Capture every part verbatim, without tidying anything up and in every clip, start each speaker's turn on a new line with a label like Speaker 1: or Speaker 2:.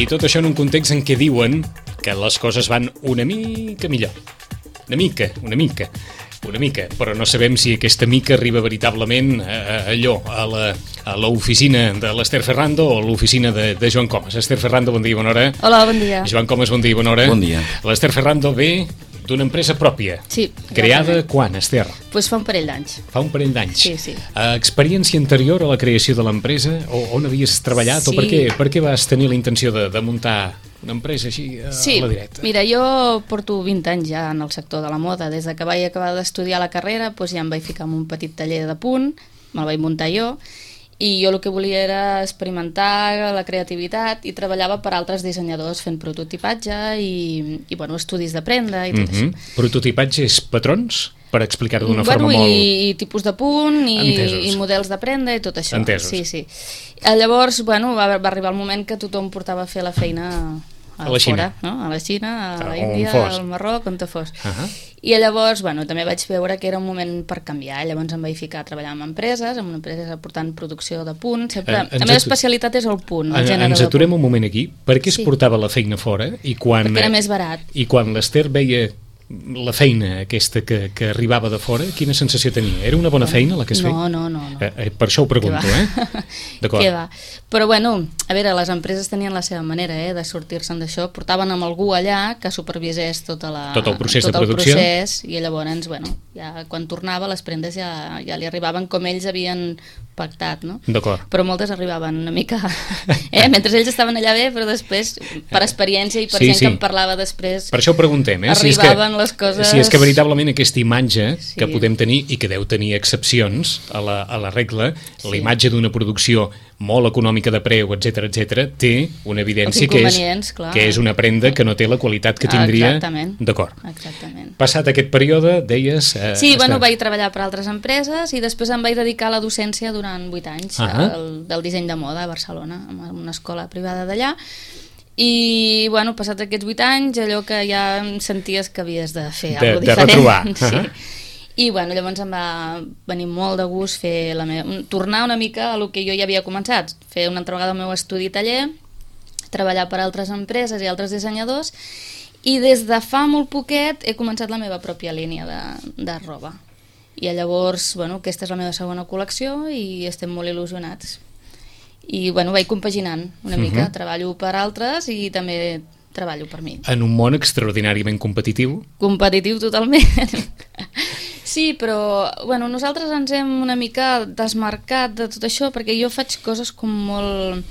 Speaker 1: I tot això en un context en què diuen que les coses van una mica millor. Una mica, una mica, una mica, però no sabem si aquesta mica arriba veritablement a, a allò, a la, a l'oficina de l'Ester Ferrando o a l'oficina de, de Joan Comas. Ester Ferrando, bon dia, bona hora.
Speaker 2: Hola, bon dia.
Speaker 1: Joan Comas, bon dia, bona hora.
Speaker 3: Bon dia.
Speaker 1: L'Ester Ferrando ve d'una empresa pròpia.
Speaker 2: Sí.
Speaker 1: Creada quan, Ester?
Speaker 2: Doncs pues fa un parell d'anys.
Speaker 1: Fa un parell d'anys.
Speaker 2: Sí, sí.
Speaker 1: Uh, experiència anterior a la creació de l'empresa? O on havies treballat?
Speaker 2: Sí.
Speaker 1: O per què, per què vas tenir la intenció de, de muntar una empresa així a,
Speaker 2: sí.
Speaker 1: a la directa?
Speaker 2: Mira, jo porto vint anys ja en el sector de la moda. Des de que vaig acabar d'estudiar la carrera, doncs ja em vaig ficar en un petit taller de punt, me'l vaig muntar jo, i jo el que volia era experimentar la creativitat i treballava per altres dissenyadors fent prototipatge i, i bueno, estudis de prenda i tot
Speaker 1: mm-hmm.
Speaker 2: això.
Speaker 1: Prototipatge és patrons? Per explicar-ho d'una
Speaker 2: bueno,
Speaker 1: forma molt...
Speaker 2: I, i tipus de punt i, i models de prenda i tot això.
Speaker 1: Entesos.
Speaker 2: Sí, sí. Llavors, bueno, va, va arribar el moment que tothom portava a fer la feina a,
Speaker 1: a la Xina,
Speaker 2: fora, no? A la Xina, a la
Speaker 1: on
Speaker 2: Índia,
Speaker 1: fos.
Speaker 2: al Marroc, on te fos.
Speaker 1: Uh -huh.
Speaker 2: I llavors, bueno, també vaig veure que era un moment per canviar. Llavors em vaig ficar a treballar amb empreses, amb una empresa portant producció de punt. Sempre,
Speaker 1: Eh,
Speaker 2: la meva especialitat és el punt, el
Speaker 1: En,
Speaker 2: gènere
Speaker 1: ens
Speaker 2: de
Speaker 1: aturem
Speaker 2: punt.
Speaker 1: un moment aquí. Per què es
Speaker 2: Sí.
Speaker 1: portava la feina fora? I quan,
Speaker 2: Perquè era més barat.
Speaker 1: I quan l'Ester veia la feina aquesta que, que arribava de fora, quina sensació tenia? Era una bona feina la que es feia?
Speaker 2: No, no, no. no.
Speaker 1: Eh, eh, per això ho pregunto, eh? D'acord.
Speaker 2: Què va? Però bueno, a veure, les empreses tenien la seva manera eh, de sortir-se'n d'això. Portaven amb algú allà que supervisés tota la,
Speaker 1: tot el procés
Speaker 2: tot
Speaker 1: de
Speaker 2: el
Speaker 1: producció.
Speaker 2: Procés, i llavors, bueno, ja quan tornava les prendes ja, ja li arribaven com ells havien pactat, no?
Speaker 1: D'acord.
Speaker 2: Però moltes arribaven una mica... Eh? Mentre ells estaven allà bé, però després, per experiència i per
Speaker 1: Sí,
Speaker 2: gent
Speaker 1: sí.
Speaker 2: que em parlava després...
Speaker 1: Per això ho preguntem, eh?
Speaker 2: Arribaven
Speaker 1: si és que,
Speaker 2: les coses...
Speaker 1: Si és que veritablement aquesta imatge
Speaker 2: Sí.
Speaker 1: que podem tenir, i que deu tenir excepcions a la, a la regla,
Speaker 2: Sí.
Speaker 1: la imatge d'una producció molt econòmica de preu, etcètera, etcètera, té una evidència que és,
Speaker 2: clar.
Speaker 1: que és una prenda que no té la qualitat que tindria...
Speaker 2: Exactament.
Speaker 1: D'acord.
Speaker 2: Exactament.
Speaker 1: Passat aquest període, deies... Eh,
Speaker 2: Sí, bueno,
Speaker 1: està...
Speaker 2: vaig treballar per altres empreses i després em vaig dedicar a la docència durant vuit anys
Speaker 1: Ah.
Speaker 2: del, del disseny de moda a Barcelona, en una escola privada d'allà. I, bueno, passats aquests vuit anys, allò que ja senties que havies de fer
Speaker 1: De-
Speaker 2: alguna
Speaker 1: de
Speaker 2: cosa diferent.
Speaker 1: retrobar.
Speaker 2: Sí.
Speaker 1: Ah.
Speaker 2: I, bueno, llavors em va venir molt de gust fer la meva... tornar una mica a lo que jo ja havia començat, fer una altra vegada el meu estudi taller, treballar per altres empreses i altres dissenyadors, i des de fa molt poquet he començat la meva pròpia línia de, de roba. I llavors, bueno, aquesta és la meva segona col·lecció i estem molt il·lusionats. I, bueno, vaig compaginant una mica,
Speaker 1: Uh-huh.
Speaker 2: treballo per altres i també treballo per mi.
Speaker 1: En un món extraordinàriament competitiu.
Speaker 2: Competitiu totalment. Sí, però, bueno, nosaltres ens hem una mica desmarcat de tot això perquè jo faig coses com molt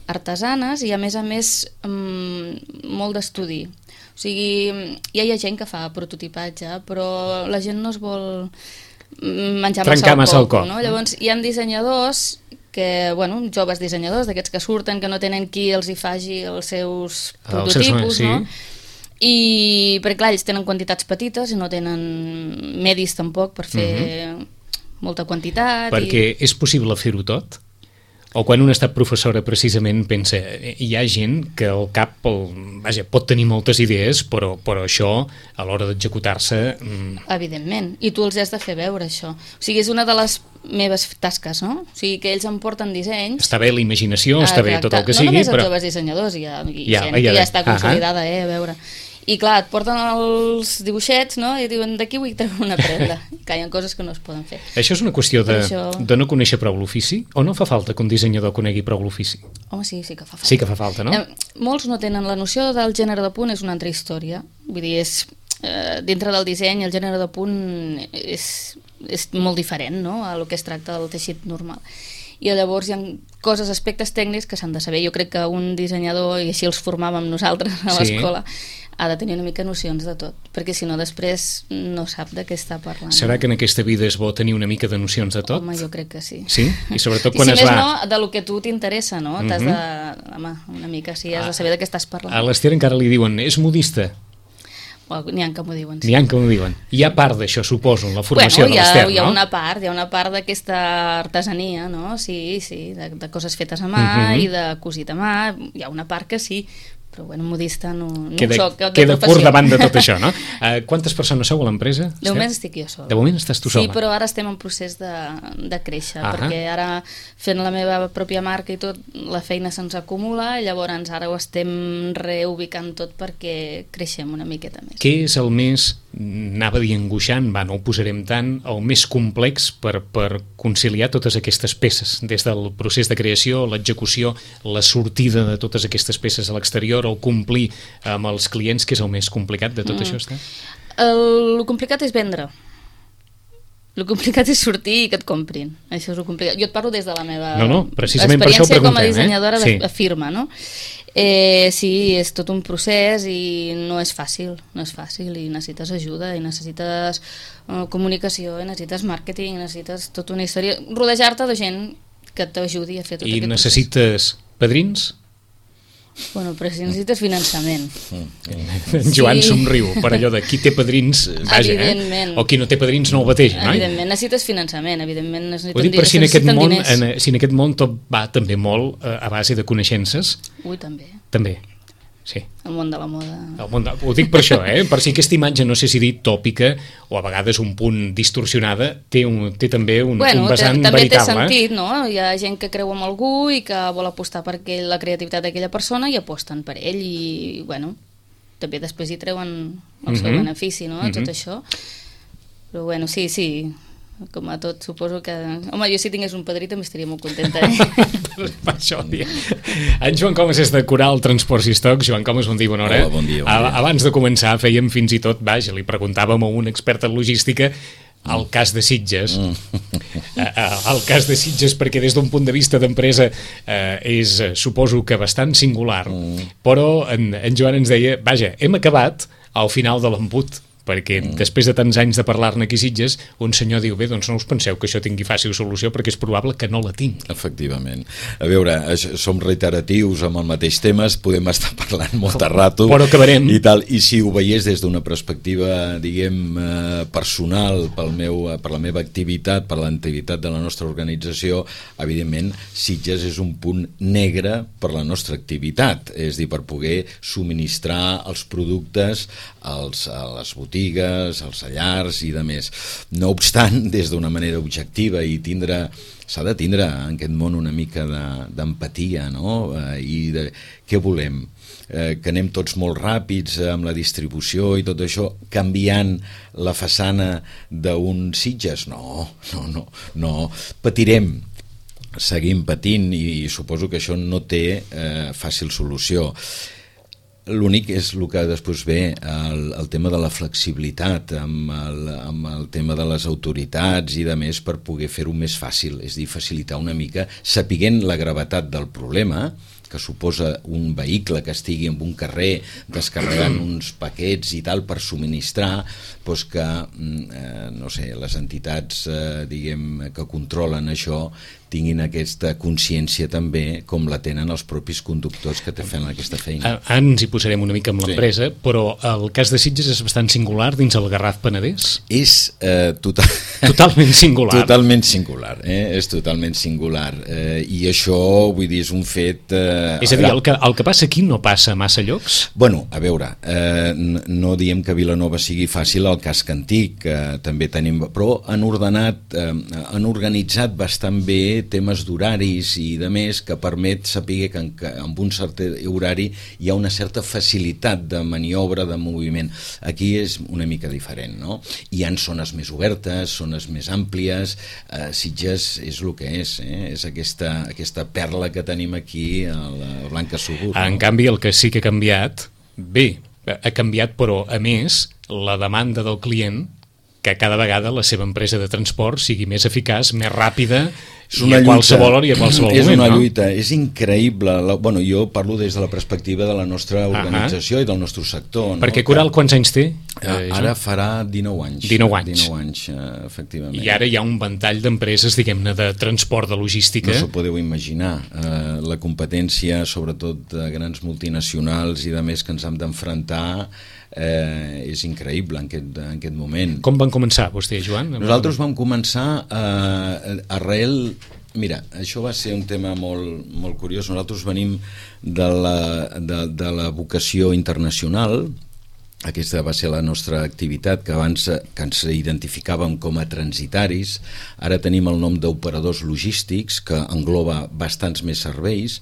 Speaker 2: artesanes i, a més a més, mm, molt d'estudi. O sigui, ja hi ha gent que fa prototipatge, però la gent no es vol menjar
Speaker 1: Trencar massa
Speaker 2: massa
Speaker 1: el
Speaker 2: el coco,
Speaker 1: coc,
Speaker 2: no?
Speaker 1: no?
Speaker 2: Llavors, hi ha dissenyadors que, bueno, joves dissenyadors, d'aquests que surten, que no tenen qui els hi faci els seus
Speaker 1: Els seus-
Speaker 2: prototipus,
Speaker 1: sí.
Speaker 2: no? I, perquè clar, ells tenen quantitats petites i no tenen medis tampoc per fer uh-huh. molta quantitat.
Speaker 1: Perquè
Speaker 2: i...
Speaker 1: és possible fer-ho tot? O quan una ha estat professora precisament pensa, hi ha gent que al cap el, vaja, pot tenir moltes idees, però, però això a l'hora d'executar-se... Mm,
Speaker 2: Evidentment, i tu els has de fer veure això. O sigui, és una de les meves tasques, no? O sigui, que ells em porten dissenys.
Speaker 1: està bé la imaginació, està bé tot el que
Speaker 2: no
Speaker 1: sigui,
Speaker 2: només els
Speaker 1: però...
Speaker 2: joves dissenyadors, hi ha, hi
Speaker 1: Ja,
Speaker 2: ha gent
Speaker 1: ja,
Speaker 2: que
Speaker 1: ja.
Speaker 2: ja està consolidada, eh, a veure. I clar, et porten els dibuixets, no? I diuen, d'aquí vull treure una prenda. I clar, hi ha coses que no es poden fer.
Speaker 1: Això és una qüestió de,
Speaker 2: això...
Speaker 1: de no conèixer prou l'ofici? O no fa falta que un dissenyador conegui prou l'ofici?
Speaker 2: Home, sí, sí que fa falta.
Speaker 1: Sí que fa falta, no?
Speaker 2: Eh, molts no tenen la noció del gènere de punt, és una altra història. Vull dir, és, eh, dintre del disseny, el gènere de punt és, és molt diferent, no?, a lo que es tracta del teixit normal. I llavors hi ha coses, aspectes tècnics que s'han de saber. Jo crec que un dissenyador, i així els formàvem nosaltres a
Speaker 1: Sí.
Speaker 2: l'escola, ha de tenir una mica nocions de tot, perquè si no després no sap de què està parlant.
Speaker 1: Serà que en aquesta vida és bo tenir una mica de nocions de tot?
Speaker 2: Home, jo crec que sí.
Speaker 1: Sí? I sobretot
Speaker 2: I
Speaker 1: quan
Speaker 2: si
Speaker 1: es
Speaker 2: més
Speaker 1: va...
Speaker 2: no, de lo que a tu t'interessa, no? T'has
Speaker 1: Mhm.
Speaker 2: de... Home, una mica, sí, has de saber de què estàs parlant.
Speaker 1: A l'Ester encara li diuen, és modista?
Speaker 2: Bueno, n'hi ha que m'ho diuen, sí.
Speaker 1: N'hi ha que ho diuen. Hi ha part d'això, suposo, en la formació
Speaker 2: Bueno, hi
Speaker 1: de
Speaker 2: ha,
Speaker 1: l'Ester,
Speaker 2: hi ha
Speaker 1: no?
Speaker 2: una part, hi ha una part d'aquesta artesania, no? Sí, sí, de, de coses fetes a mà
Speaker 1: Mhm.
Speaker 2: i de cosit a mà, hi ha una part que sí, però bueno, modista no, no
Speaker 1: queda,
Speaker 2: soc, de
Speaker 1: queda
Speaker 2: professió.
Speaker 1: curt davant de tot això, no? Uh, quantes persones sou a l'empresa?
Speaker 2: De moment estic jo sola.
Speaker 1: De moment estàs tu sola?
Speaker 2: Sí, però ara estem en procés de, de créixer,
Speaker 1: uh -huh.
Speaker 2: perquè ara fent la meva pròpia marca i tot, la feina se'ns acumula, i llavors ara ho estem reubicant tot perquè creixem una miqueta més.
Speaker 1: Què és el més, anava a dir angoixant, va, no ho posarem tant, el més complex per, per conciliar totes aquestes peces, des del procés de creació, l'execució, la sortida de totes aquestes peces a l'exterior, el complir amb els clients, que és el més complicat de tot mm. això? Està?
Speaker 2: El, el complicat és vendre. El complicat és sortir i que et comprin. Això és el complicat. Jo et parlo des de la meva
Speaker 1: no, no, precisament per això ho
Speaker 2: experiència com a
Speaker 1: preguntem,
Speaker 2: dissenyadora
Speaker 1: eh?
Speaker 2: de
Speaker 1: Sí.
Speaker 2: firma, no? Eh, sí, és tot un procés i no és fàcil, no és fàcil, i necessites ajuda, i necessites uh, comunicació, i necessites màrqueting, i necessites tota una història, rodejar-te de gent que t'ajudi a fer tot
Speaker 1: I
Speaker 2: aquest
Speaker 1: necessites
Speaker 2: procés.
Speaker 1: padrins?
Speaker 2: Bueno, però si necessites finançament.
Speaker 1: En Joan
Speaker 2: Sí.
Speaker 1: somriu per allò de qui té padrins, vaja, eh? O qui no té padrins no el bateja, no?
Speaker 2: Evidentment, necessites finançament, evidentment necessiten,
Speaker 1: Ho dic per si en aquest
Speaker 2: necessiten
Speaker 1: món,
Speaker 2: diners.
Speaker 1: en, si en aquest món tot va també molt eh, a base de coneixences.
Speaker 2: Ui, també.
Speaker 1: També, sí.
Speaker 2: El món de la moda.
Speaker 1: El món de, ho dic per això, eh? Per si aquesta imatge, no sé si dir tòpica o a vegades un punt distorsionada, té, un, té també un,
Speaker 2: bueno,
Speaker 1: un vessant
Speaker 2: també
Speaker 1: veritable.
Speaker 2: té sentit, no? Hi ha gent que creu en algú i que vol apostar per aquell, la creativitat d'aquella persona, i aposten per ell, i bueno, també després hi treuen el seu
Speaker 1: Mhm.
Speaker 2: benefici, no?
Speaker 1: Mhm.
Speaker 2: Tot això. Però bueno, sí, sí, com a tot, suposo que... Home, jo si tingués un padrí també estaria molt contenta, eh?
Speaker 1: Per això, dia. En Joan Comas és de Coral Transports i Estocs. Joan Comas, bon dia, bona hora.
Speaker 3: Hola, bon dia, bon dia.
Speaker 1: Abans de començar fèiem fins i tot, vaja, li preguntàvem a un expert en logística el cas de Sitges. Mm. El cas de Sitges, perquè des d'un punt de vista d'empresa eh, és, suposo que bastant singular, mm. però en, en Joan ens deia, vaja, hem acabat al final de l'embut, perquè mm. després de tants anys de parlar-ne aquí a Sitges, un senyor diu, bé, doncs no us penseu que això tingui fàcil solució, perquè és probable que no la tingui.
Speaker 3: Efectivament. A veure, som reiteratius amb el mateix temes, podem estar parlant molt de rato.
Speaker 1: Però acabarem.
Speaker 3: I, tal, i si ho veiés des d'una perspectiva, diguem, eh, personal, pel meu, per la meva activitat, per l'activitat de la nostra organització, evidentment, Sitges és un punt negre per la nostra activitat, és a dir, per poder subministrar els productes als, a les botigues, als llars i de més. No obstant, des d'una manera objectiva i tindre, s'ha de tindre en aquest món una mica d'empatia, no? Eh, I de què volem? Eh, que anem tots molt ràpids amb la distribució i tot això, canviant la façana d'un Sitges? No, no, no, no. Patirem, seguim patint, i suposo que això no té eh, fàcil solució. L'únic és el que després ve el, el tema de la flexibilitat amb el, amb el tema de les autoritats i de més, per poder fer-ho més fàcil, és a dir, facilitar una mica, sapiguent la gravetat del problema que suposa un vehicle que estigui en un carrer descarregant uns paquets i tal per subministrar, doncs que eh, no sé, les entitats eh, diguem que controlen això tinguin aquesta consciència també, com la tenen els propis conductors que te fan aquesta feina.
Speaker 1: Ara ens hi posarem una mica amb l'empresa, sí. Però el cas de Sitges és bastant singular dins el Garraf Penedès?
Speaker 3: És eh, total...
Speaker 1: totalment singular.
Speaker 3: Totalment singular, eh? És totalment singular. Eh, I això, vull dir, és un fet... Eh,
Speaker 1: és a dir, el que, el que passa aquí no passa a massa llocs?
Speaker 3: Bueno, a veure, eh, no diem que Vilanova sigui fàcil el casc antic, que també tenim... Però han ordenat, eh, han organitzat bastant bé temes d'horaris i de més, que permet saber que, en, que amb un cert horari hi ha una certa facilitat de maniobra, de moviment. Aquí és una mica diferent, no? Hi ha zones més obertes, zones més àmplies, eh, Sitges és el que és, eh? És aquesta, aquesta perla que tenim aquí a la Blanca Subur.
Speaker 1: En
Speaker 3: no?
Speaker 1: canvi, el que sí que ha canviat, bé, ha canviat, però a més, la demanda del client, que cada vegada la seva empresa de transport sigui més eficaç, més ràpida, i a qualsevol hora i a qualsevol
Speaker 3: és
Speaker 1: moment,
Speaker 3: una
Speaker 1: no?
Speaker 3: lluita, és increïble. La, bueno, jo parlo des de la perspectiva de la nostra organització uh -huh. i del nostre sector.
Speaker 1: Perquè
Speaker 3: no?
Speaker 1: Coral quants anys té?
Speaker 3: Eh, ara farà dinou anys.
Speaker 1: dinou anys.
Speaker 3: dinou anys, eh, efectivament.
Speaker 1: I ara hi ha un ventall d'empreses, diguem-ne, de transport, de logística.
Speaker 3: No s'ho podeu imaginar. Eh, la competència, sobretot de grans multinacionals i de més que ens hem d'enfrontar, eh, és increïble en aquest, en aquest moment.
Speaker 1: Com van començar vostè, Joan?
Speaker 3: Nosaltres vam començar eh, arrel Mira, això va ser un tema molt, molt curiós. Nosaltres venim de la, de, de la vocació internacional. Aquesta va ser la nostra activitat, que abans que ens identificàvem com a transitaris. Ara tenim el nom d'operadors logístics, que engloba bastants més serveis,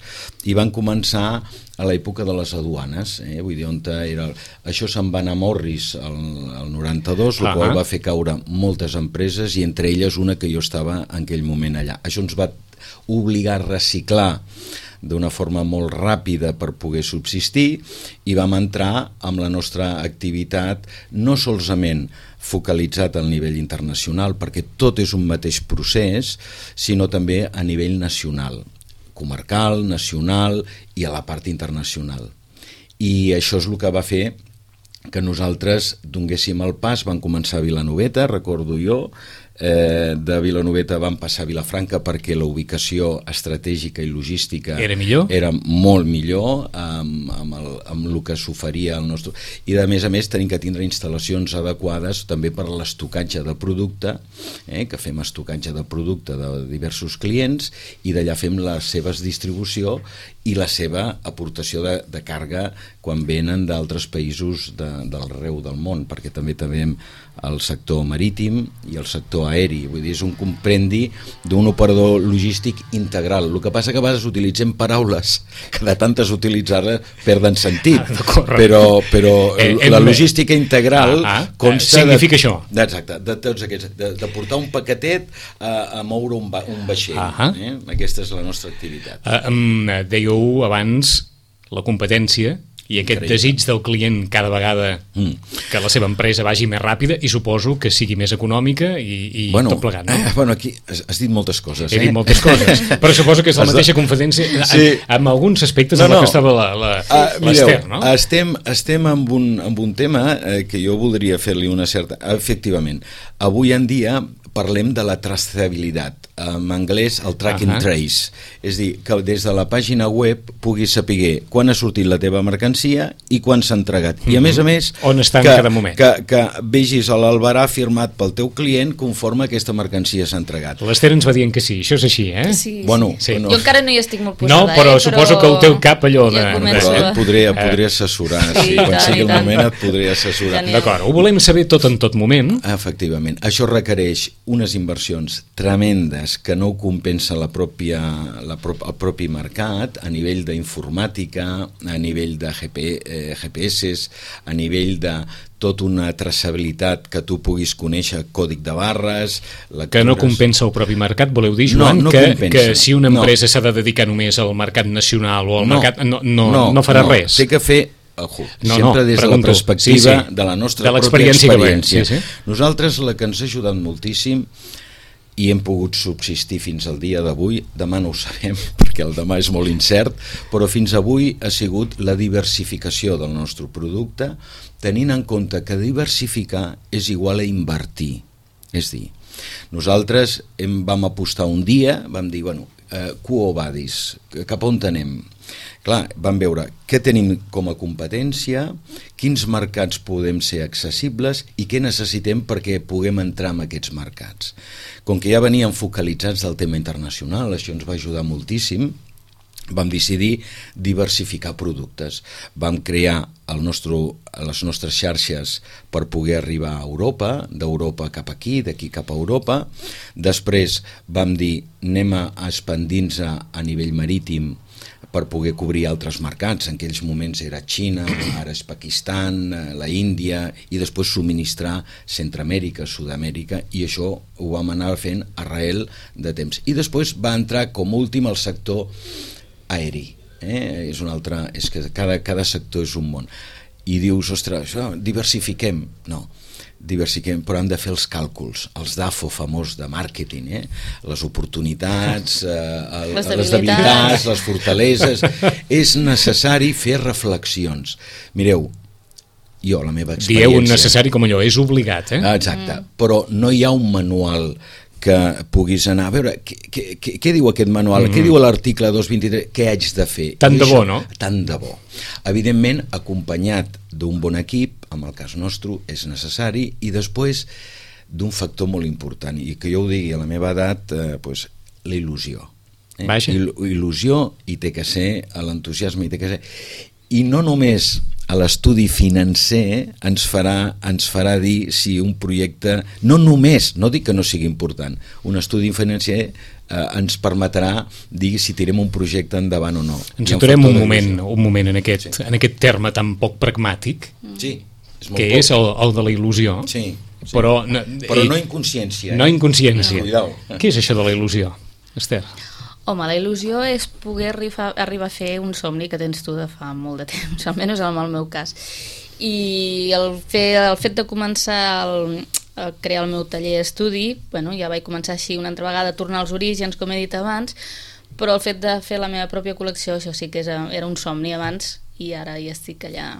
Speaker 3: i van començar a l'època de les aduanes, eh? Vull dir, on era... Això se'n va anar a Morris el, el noranta-dos, el uh-huh. qual va fer caure moltes empreses, i entre elles una que jo estava en aquell moment allà. Això ens va obligar a reciclar d'una forma molt ràpida per poder subsistir, i vam entrar amb la nostra activitat no solament focalitzat al nivell internacional, perquè tot és un mateix procés, sinó també a nivell nacional, comarcal, nacional i a la part internacional. I això és el que va fer que nosaltres donéssim el pas. Van començar a Vilanoveta, recordo jo, eh, de Vilanoveta vam passar a Vilafranca perquè la ubicació estratègica i logística
Speaker 1: era millor,
Speaker 3: era molt millor amb, amb, el, amb el que s'oferia al nostre... I a més a més tenim que tindre instal·lacions adequades també per a l'estocatge de producte, eh, que fem estocatge de producte de diversos clients, i d'allà fem la seva distribució i la seva aportació de, de càrrega quan venen d'altres països de, d'arreu del món, perquè també tenim el sector marítim i el sector aeri. Vull dir, és un comprendi d'un operador logístic integral. El que passa que a vegades utilitzem paraules que de tantes utilitzar-les perden sentit,
Speaker 1: ah,
Speaker 3: però, però
Speaker 1: eh,
Speaker 3: la logística integral
Speaker 1: ah, ah,
Speaker 3: consta
Speaker 1: significa
Speaker 3: de,
Speaker 1: això.
Speaker 3: Exacte, de tots aquests, de, de portar un paquetet a, a moure un, ba, un vaixell.
Speaker 1: Ah,
Speaker 3: eh? Aquesta és la nostra activitat.
Speaker 1: Uh, um, dèieu abans la competència i aquest Increïble. Desig del client cada vegada mm. que la seva empresa vagi més ràpida i suposo que sigui més econòmica i, i bueno, tot plegat, no?
Speaker 3: Eh, bueno, aquí has, has dit moltes coses.
Speaker 1: He
Speaker 3: eh?
Speaker 1: dit moltes coses, però suposo que és la mateixa competència sí. en, en alguns aspectes no, en no. la que estava la, la, uh, l'Ester, no?
Speaker 3: Estem, estem amb, un, amb un tema eh, que jo voldria fer-li una certa... Efectivament, avui en dia parlem de la traçabilitat, en anglès el track and trace, és dir, que des de la pàgina web puguis saber quan ha sortit la teva mercancia i quan s'ha entregat. I a més a més,
Speaker 1: on està
Speaker 3: que,
Speaker 1: en cada moment.
Speaker 3: Que, que vegis l'albarà firmat pel teu client conforme aquesta mercancia s'ha entregat.
Speaker 1: L'Ester ens va dient que sí, això és així, eh?
Speaker 2: Sí,
Speaker 3: bueno,
Speaker 2: sí.
Speaker 3: No.
Speaker 2: Jo encara no hi estic molt posada,
Speaker 1: no, però
Speaker 2: eh?
Speaker 1: suposo
Speaker 2: però...
Speaker 1: que el teu cap allò de...
Speaker 2: Ja
Speaker 3: però et podré, et podré assessorar, sí, sí, quan sigui el moment et podré assessorar.
Speaker 1: D'acord, ho volem saber tot en tot moment.
Speaker 3: Efectivament, això requereix unes inversions tremendes que no ho compensa la pròpia, la pro, el propi mercat a nivell d'informàtica, a nivell de G P, eh, G P S, a nivell de tota una traçabilitat que tu puguis conèixer, còdic de barres... Lectures... Que
Speaker 1: no compensa el propi mercat, voleu dir, Joan?
Speaker 3: No, no
Speaker 1: que,
Speaker 3: compensa.
Speaker 1: Que si una empresa
Speaker 3: no.
Speaker 1: s'ha de dedicar només al mercat nacional o al
Speaker 3: no,
Speaker 1: mercat... No, no,
Speaker 3: no,
Speaker 1: no farà
Speaker 3: no.
Speaker 1: res.
Speaker 3: Té que fer... Ojo,
Speaker 1: no,
Speaker 3: sempre
Speaker 1: no,
Speaker 3: des
Speaker 1: pregunto.
Speaker 3: de la perspectiva
Speaker 1: sí, sí.
Speaker 3: de la nostra
Speaker 1: de
Speaker 3: pròpia experiència.
Speaker 1: Sí, sí.
Speaker 3: Nosaltres la que ens ha ajudat moltíssim i hem pogut subsistir fins al dia d'avui, demà no ho sabem perquè el demà és molt incert, però fins avui ha sigut la diversificació del nostre producte, tenint en compte que diversificar és igual a invertir. És dir, nosaltres hem, vam apostar un dia, vam dir, bueno, eh, quo vadis, cap on anem? Clar, vam veure què tenim com a competència, quins mercats podem ser accessibles i què necessitem perquè puguem entrar en aquests mercats. Com que ja veníem focalitzats del tema internacional, això ens va ajudar moltíssim, vam decidir diversificar productes. Vam crear el nostre, les nostres xarxes per poder arribar a Europa, d'Europa cap aquí, d'aquí cap a Europa. Després vam dir, anem a expandir-nos a nivell marítim per poder cobrir altres mercats. En aquells moments era Xina, ara és Pakistan, la Índia, i després subministrar Centroamèrica, Sud-amèrica, i això ho vam anar fent arrel de temps. I després va entrar com últim el sector aeri. Eh? És un altre, és que cada, cada sector és un món. I dius, ostres, diversifiquem. No, diversifiquem, però hem de fer els càlculs, els D A F O famós de màrqueting, eh? Les oportunitats, eh, el, les, les debilitats, les fortaleses. És necessari fer reflexions. Mireu, jo, la meva experiència...
Speaker 1: Dieu un necessari com allò, és obligat, eh?
Speaker 3: Exacte, mm. però no hi ha un manual que puguis anar a veure què, què, què, què diu aquest manual, mm-hmm. què diu l'article dos vint-i-tres, què haig de fer.
Speaker 1: Tant de bo, no?
Speaker 3: Tant de bo. Evidentment, acompanyat d'un bon equip, en el cas nostre, és necessari, i després d'un factor molt important, i que jo ho digui, a la meva edat, eh, pues, la il·lusió. Eh?
Speaker 1: Vaja.
Speaker 3: Il il·lusió i té que ser l'entusiasme i té que ser... I no només a l'estudi financer ens farà, ens farà dir si un projecte, no només, no dic que no sigui important, un estudi financer eh, ens permetrà dir si tirem un projecte endavant o no.
Speaker 1: Ens aturem un moment, un moment en aquest, sí. en aquest terme tan poc pragmàtic,
Speaker 3: sí, és molt
Speaker 1: que
Speaker 3: poc.
Speaker 1: és el, el de la il·lusió,
Speaker 3: sí, sí.
Speaker 1: Però, no,
Speaker 3: però no inconsciència. Eh?
Speaker 1: No inconsciència.
Speaker 3: No.
Speaker 1: Què és això de la il·lusió, Esther?
Speaker 2: Home, la il·lusió és poder arribar, arribar a fer un somni que tens tu de fa molt de temps, almenys en el meu cas. I el, fer, el fet de començar el, a crear el meu taller d'estudi, bueno, ja vaig començar així una altra vegada a tornar als orígens, com he dit abans, però el fet de fer la meva pròpia col·lecció, això sí que és, era un somni abans, i ara ja estic allà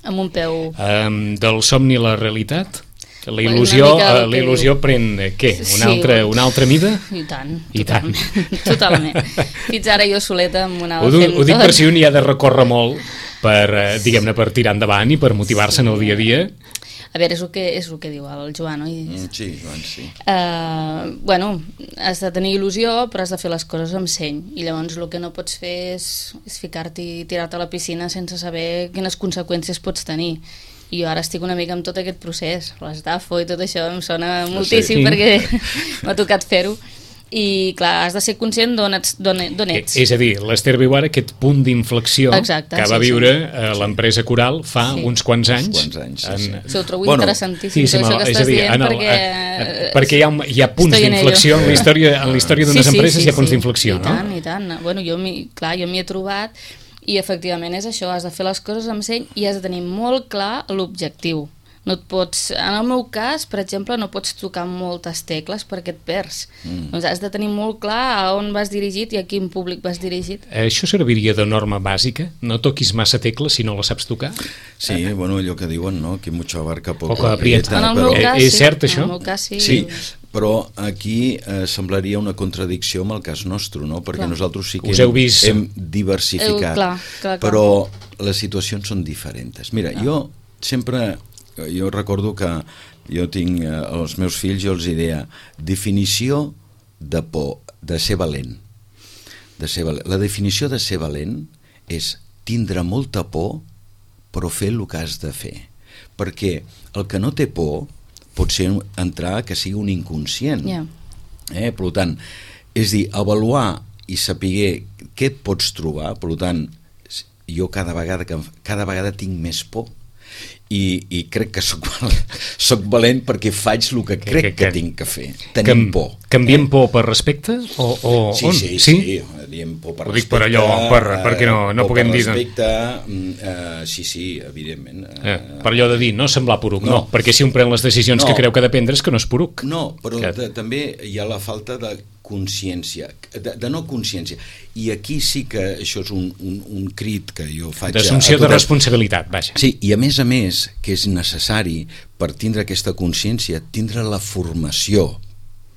Speaker 2: amb un peu...
Speaker 1: Um, del somni a la realitat? La il·lusió, uh, la il·lusió pren eh, què? Una, sí, altra, una altra mida?
Speaker 2: I tant,
Speaker 1: I
Speaker 2: totalment.
Speaker 1: tant.
Speaker 2: Totalment. Fins ara jo soleta amb una...
Speaker 1: Ho, ho dic per si un hi ha de recórrer molt per, eh, diguem-ne, per tirar endavant i per motivar-se sí. en el dia a dia.
Speaker 2: A veure, és el que, és el que diu el Joan, oi?
Speaker 3: Mm, sí, Joan, sí.
Speaker 2: Uh, bueno, has de tenir il·lusió, però has de fer les coses amb seny. I llavors el que no pots fer és, és ficar-t'hi i tirar-te a la piscina sense saber quines conseqüències pots tenir. I jo ara estic una mica amb tot aquest procés, l'estafo i tot això em sona moltíssim sí. perquè m'ha tocat fer-ho. I clar, has de ser conscient d'on ets, ets.
Speaker 1: És a dir, l'Esther viu ara aquest punt d'inflexió que va
Speaker 2: sí,
Speaker 1: viure
Speaker 2: sí.
Speaker 1: a l'empresa Coral fa sí. uns quants anys.
Speaker 3: Uns quants anys, sí, sí.
Speaker 2: En... Sí, ho trobo bueno, interessantíssim,
Speaker 1: sí, sí,
Speaker 2: això que estàs
Speaker 1: dir,
Speaker 2: dient,
Speaker 1: el,
Speaker 2: perquè...
Speaker 1: Eh, perquè hi ha, hi ha punts d'inflexió en la història, en la història d'unes sí, sí, empreses, sí, sí, hi ha punts sí. d'inflexió, no?
Speaker 2: I tant, i tant. Bueno, jo clar, jo m'hi he trobat i efectivament és això, has de fer les coses amb seny i has de tenir molt clar l'objectiu. No et pots, en el meu cas, per exemple, no pots tocar moltes tecles perquè et perds. Mm. Doncs has de tenir molt clar a on vas dirigit i a quin públic vas dirigit.
Speaker 1: Això serviria de norma bàsica? No toquis massa tecles si no la saps tocar?
Speaker 3: Sí, eh? bueno, allò que diuen, no? Que mucho abarca poco.
Speaker 1: Poco aprieta.
Speaker 2: En el meu
Speaker 1: però...
Speaker 2: cas,
Speaker 1: sí. És cert, això?
Speaker 2: En el meu cas, sí.
Speaker 3: Sí, però aquí eh, semblaria una contradicció amb el cas nostre, no? Perquè clar. nosaltres sí que hem,
Speaker 1: vist...
Speaker 3: hem diversificat,
Speaker 2: heu, clar, clar, clar.
Speaker 3: però les situacions són diferents. Mira, clar. jo sempre... Jo recordo que jo tinc eh, els meus fills, jo els deia definició de por, de ser valent. De ser valent. La definició de ser valent és tindre molta por però fer el que has de fer. Perquè el que no té por pot ser entrar que sigui un inconscient.
Speaker 2: Yeah.
Speaker 3: Eh? Per tant, és dir, avaluar i saber què et pots trobar, per tant, jo cada vegada, que, cada vegada tinc més por. I, i crec que soc, soc valent perquè faig el que crec que, que, que tinc que fer. Tenim por.
Speaker 1: Canviem eh? por per respecte? O, o
Speaker 3: sí,
Speaker 1: on?
Speaker 3: sí, sí, sí. Diem por per
Speaker 1: Ho
Speaker 3: respecte.
Speaker 1: Dic per allò, per, perquè no, no puguem dir...
Speaker 3: Per respecte, uh, sí, sí, evidentment. Uh,
Speaker 1: eh, per allò de dir, no semblar poruc, no, no perquè si un pren les decisions no. que creu que ha de prendre és que no és poruc.
Speaker 3: No, però que... de, també hi ha la falta de consciència, de, de no consciència. I aquí sí que això és un, un, un crit que jo faig...
Speaker 1: D'assumpció de responsabilitat, vaja.
Speaker 3: Sí, i a més a més que és necessari per tindre aquesta consciència, tindre la formació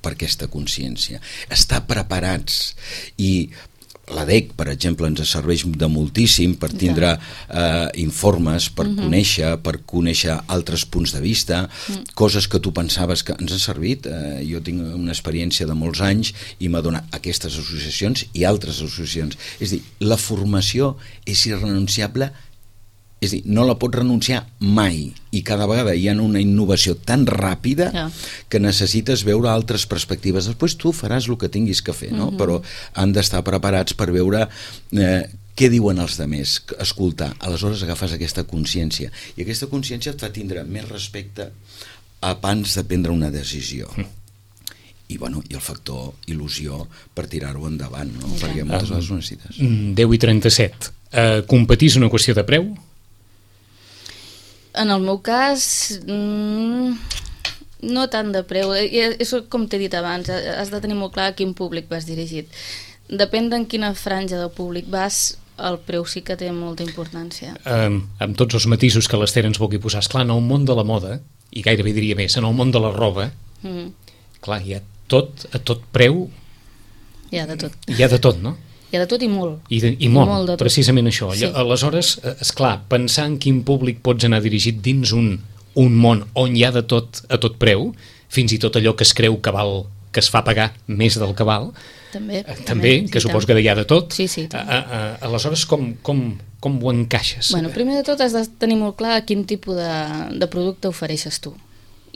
Speaker 3: per aquesta consciència, estar preparats. I l'A D E C, per exemple, ens serveix de moltíssim per tindre eh, informes, per uh-huh. conèixer, per conèixer altres punts de vista, uh-huh. coses que tu pensaves que ens ha servit. Eh, jo tinc una experiència de molts anys i m'ha donat aquestes associacions i altres associacions. És a dir, la formació és irrenunciable, és a dir, no la pots renunciar mai, i cada vegada hi ha una innovació tan ràpida yeah. que necessites veure altres perspectives. Després tu faràs el que tinguis que fer, no? Uh-huh. Però han d'estar preparats per veure eh, què diuen els altres, escoltar. Aleshores agafes aquesta consciència, i aquesta consciència et fa tindre més respecte abans de prendre una decisió. Mm. I, bueno, i el factor il·lusió per tirar-ho endavant, no? Okay. Perquè moltes vegades ho necessites.
Speaker 1: deu i trenta-set. Uh, competir és una qüestió de preu?
Speaker 2: En el meu cas, mmm, no tant de preu. És com t'he dit abans, has de tenir molt clar a quin públic vas dirigit. Depèn d'en quina franja del públic vas, el preu sí que té molta importància. Um,
Speaker 1: amb tots els matisos que l'Esther ens vulgui posar. Esclar, en el món de la moda, i gairebé diria més, en el món de la roba, mm. clar, hi ha tot, a tot preu...
Speaker 2: Hi ha de tot.
Speaker 1: Hi ha de tot, no?
Speaker 2: Hi ha de tot i molt.
Speaker 1: I, de, i molt,
Speaker 2: molt
Speaker 1: precisament això.
Speaker 2: Sí.
Speaker 1: Aleshores, esclar, pensar en quin públic pots anar dirigit dins un, un món on hi ha de tot a tot preu, fins i tot allò que es creu que val, que es fa pagar més del que val,
Speaker 2: També,
Speaker 1: també, també que
Speaker 2: sí,
Speaker 1: suposo
Speaker 2: tant.
Speaker 1: que hi ha de tot.
Speaker 2: Sí, sí,
Speaker 1: a, a, a, aleshores, com, com, com ho encaixes?
Speaker 2: Bueno, primer de tot has de tenir molt clar quin tipus de, de producte ofereixes tu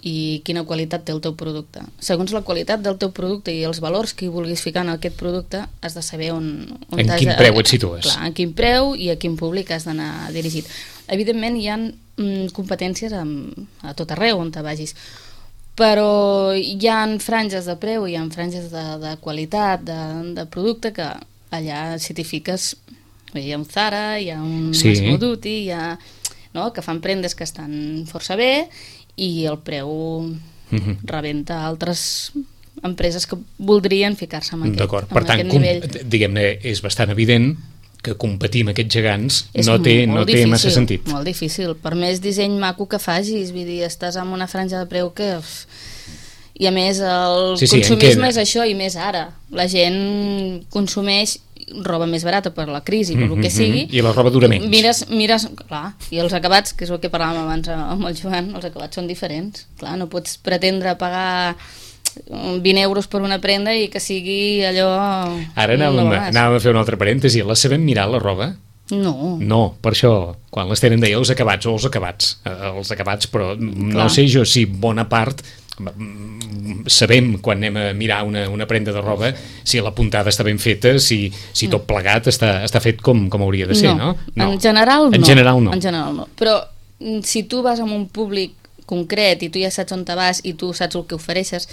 Speaker 2: i quina qualitat té el teu producte. Segons la qualitat del teu producte i els valors que hi vulguis ficar en aquest producte, has de saber on... on
Speaker 1: en quin preu et situes.
Speaker 2: Clar, en quin preu i a quin públic has d'anar dirigit. Evidentment, hi ha mm, competències amb, a tot arreu on te vagis, però hi ha franges de preu, hi ha franges de, de qualitat, de, de producte, que allà si t'hi fiques, hi ha un Zara, hi ha un
Speaker 1: sí.
Speaker 2: Massimo Dutti, hi ha, no, que fan prendes que estan força bé, i el preu uh-huh. rebenta altres empreses que voldrien ficar-se en aquest,
Speaker 1: D'acord, per
Speaker 2: en
Speaker 1: tant,
Speaker 2: aquest
Speaker 1: com,
Speaker 2: nivell.
Speaker 1: diguem-ne, és bastant evident que competir amb aquests gegants
Speaker 2: És
Speaker 1: no té, no té
Speaker 2: difícil,
Speaker 1: massa sentit.
Speaker 2: Molt difícil, per més disseny maco que facis, vull dir, estàs amb una franja de preu que... Uf, i a més el
Speaker 1: sí, sí,
Speaker 2: consumisme és això, i més ara. La gent consumeix roba més barata per la crisi, per mm-hmm, el que sigui.
Speaker 1: I la roba dura menys.
Speaker 2: Mires, mires, clar, i els acabats, que és el que parlàvem abans amb el Joan, els acabats són diferents. Clar, no pots pretendre pagar vint euros per una prenda i que sigui allò...
Speaker 1: Ara anàvem, no anàvem a fer un altre parèntesi. La sabem mirar, la roba?
Speaker 2: No.
Speaker 1: No, per això, quan les tenen deia els acabats o els acabats, els acabats, però clar. No sé jo si bona part sabem quan anem a mirar una, una prenda de roba si la puntada està ben feta, si, si tot plegat està, està fet com, com hauria de ser, no?
Speaker 2: no? En general no.
Speaker 1: En general no.
Speaker 2: En general no. Però si tu vas amb un públic concret i tu ja saps on te vas i tu saps el que ofereixes,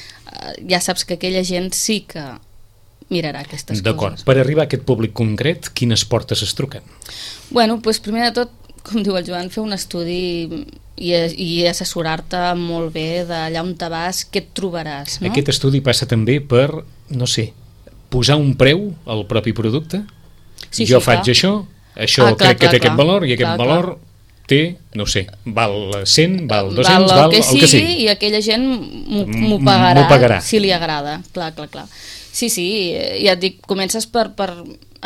Speaker 2: ja saps que aquella gent sí que mirarà aquestes
Speaker 1: D'acord.
Speaker 2: coses.
Speaker 1: Per arribar a aquest públic concret, quines portes es truquen?
Speaker 2: Bueno, doncs primer de tot, com diu el Joan, fer un estudi i, i assessorar-te molt bé d'allà on te vas, què et trobaràs, no?
Speaker 1: Aquest estudi passa també per, no sé, posar un preu al propi producte?
Speaker 2: Sí,
Speaker 1: jo
Speaker 2: sí,
Speaker 1: faig
Speaker 2: clar.
Speaker 1: això, això
Speaker 2: ah, clar,
Speaker 1: crec que
Speaker 2: clar,
Speaker 1: té
Speaker 2: clar.
Speaker 1: aquest valor i aquest
Speaker 2: clar,
Speaker 1: valor
Speaker 2: clar.
Speaker 1: té, no sé, val cent, val dos-cents,
Speaker 2: val el
Speaker 1: val
Speaker 2: que
Speaker 1: el que sigui.
Speaker 2: I aquella gent m'ho pagarà,
Speaker 1: pagarà
Speaker 2: si li agrada. Clar, clar, clar. Sí, sí, ja et dic, comences per, per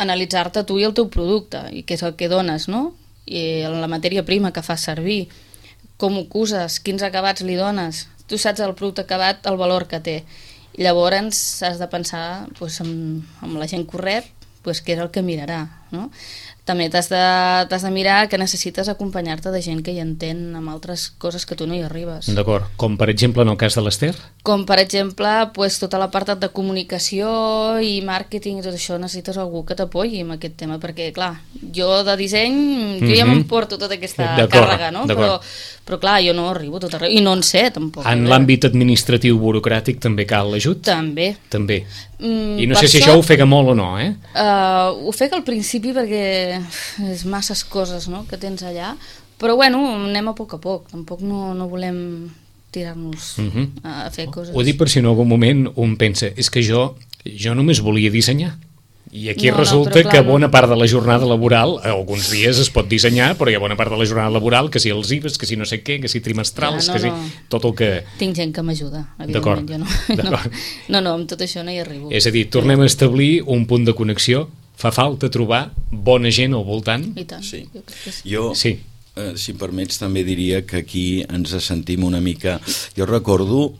Speaker 2: analitzar-te tu i el teu producte, i què és el que dones, no? I la matèria prima que fas servir, com ho uses, quins acabats li dones, tu saps el producte acabat, el valor que té. I llavors has de pensar doncs, amb, amb la gent correcta, doncs, què és el que mirarà, no? També t'has de, t'has de mirar que necessites acompanyar-te de gent que hi entén amb altres coses que tu no hi arribes.
Speaker 1: D'acord, com per exemple en el cas de l'Ester?
Speaker 2: Com per exemple, pues, tota la part de comunicació i màrqueting i tot això, necessites algú que t'apoyi amb aquest tema, perquè clar, jo de disseny jo ja
Speaker 1: Mhm.
Speaker 2: m'emporto tota aquesta càrrega, no? Però, però clar, jo no arribo a tot arreu, i no en sé tampoc.
Speaker 1: En l'àmbit administratiu burocràtic també cal l'ajut?
Speaker 2: També.
Speaker 1: També.
Speaker 2: Mm,
Speaker 1: I no
Speaker 2: per
Speaker 1: sé si
Speaker 2: això,
Speaker 1: això ofega molt o no, eh?
Speaker 2: Uh, ofega al principi perquè és masses coses, no?, que tens allà, però bueno, anem a poc a poc, tampoc no, no volem tirar-nos
Speaker 1: Uh-huh.
Speaker 2: a fer coses.
Speaker 1: Ho dic per si en algun moment un pensa, és que jo, jo només volia dissenyar. I aquí
Speaker 2: No, no,
Speaker 1: resulta
Speaker 2: però clar,
Speaker 1: que bona
Speaker 2: no.
Speaker 1: part de la jornada laboral, alguns dies es pot dissenyar, però hi ha bona part de la jornada laboral, que si els I V As, que si no sé què, que si trimestrals,
Speaker 2: Clar, no,
Speaker 1: que si
Speaker 2: no.
Speaker 1: tot el que...
Speaker 2: Tinc gent que m'ajuda,
Speaker 1: D'acord,
Speaker 2: evidentment, jo no.
Speaker 1: d'acord.
Speaker 2: no. No, no, amb tot això no hi arribo.
Speaker 1: És a dir, tornem a establir un punt de connexió. Fa falta trobar bona gent al voltant?
Speaker 2: I tant,
Speaker 3: Sí.
Speaker 2: jo crec que sí.
Speaker 3: Jo,
Speaker 1: Sí.
Speaker 3: eh, si em permets, també diria que aquí ens sentim una mica... Jo recordo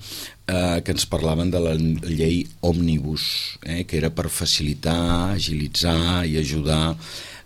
Speaker 3: eh, que ens parlaven de la llei Òmnibus, eh, que era per facilitar, agilitzar i ajudar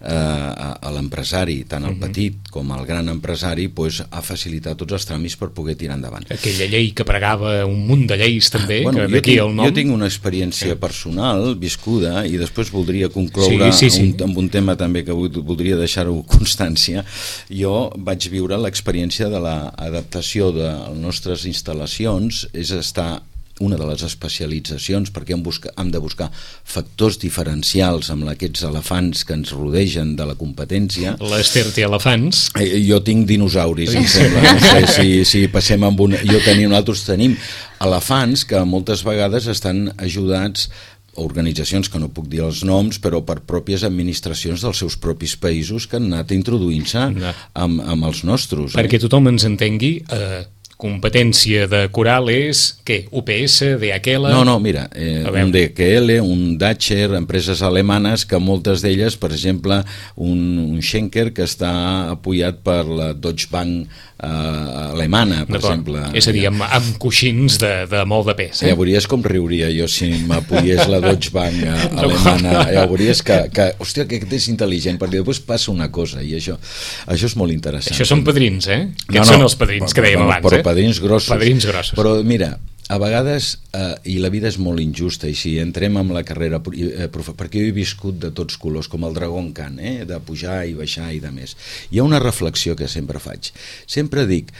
Speaker 3: eh, a, a l'empresari, tant el petit com el gran empresari, pues, a facilitar tots els tràmits per poder tirar endavant.
Speaker 1: Aquella llei que pregava un munt de lleis també,
Speaker 3: Bueno,
Speaker 1: que
Speaker 3: jo,
Speaker 1: d'aquí
Speaker 3: tinc,
Speaker 1: el nom...
Speaker 3: jo tinc una experiència personal viscuda i després voldria concloure
Speaker 1: Sí, sí, sí.
Speaker 3: Un, amb un tema també que vull- voldria deixar-ho constància. Jo vaig viure l'experiència de l'adaptació de les nostres instal·lacions, és estar una de les especialitzacions, perquè hem, busca, hem de buscar factors diferencials amb aquests elefants que ens rodegen de la competència.
Speaker 1: L'Ester té elefants.
Speaker 3: Eh, Jo tinc dinosauris, em sembla. No sé si, si passem amb una... Jo tenia, nosaltres tenim elefants que moltes vegades estan ajudats a organitzacions que no puc dir els noms, però per pròpies administracions dels seus propis països que han anat introduint-se
Speaker 1: No.
Speaker 3: amb, amb els nostres.
Speaker 1: Perquè tothom ens entengui, eh, competència de Coral és, què? U P S, D H L...
Speaker 3: No, no, mira, eh,
Speaker 1: A veure.
Speaker 3: un D H L, un Dacher, empreses alemanes que moltes d'elles, per exemple, un, un Schenker que està apoyat per la Deutsche Bank eh, alemanya, alemana, per exemple.
Speaker 1: És a dir, amb, amb coixins de, de molt de pes. Eh?
Speaker 3: Ja veuries com riuria jo si m'apoyés la Deutsche Bank alemana. Ja veuries que, que hòstia, que és intel·ligent, perquè després passa una cosa, i això, això és molt interessant.
Speaker 1: Això són padrins, eh? Aquests
Speaker 3: no, no,
Speaker 1: són els padrins que dèiem
Speaker 3: no,
Speaker 1: abans,
Speaker 3: però
Speaker 1: eh?
Speaker 3: padrins grossos.
Speaker 1: Padrins grossos.
Speaker 3: Però mira, a vegades, eh, i la vida és molt injusta, i si entrem amb la carrera, eh, perquè jo he viscut de tots colors, com el Dragon Khan, eh, de pujar i baixar i de més. Hi ha una reflexió que sempre faig. Sempre dic,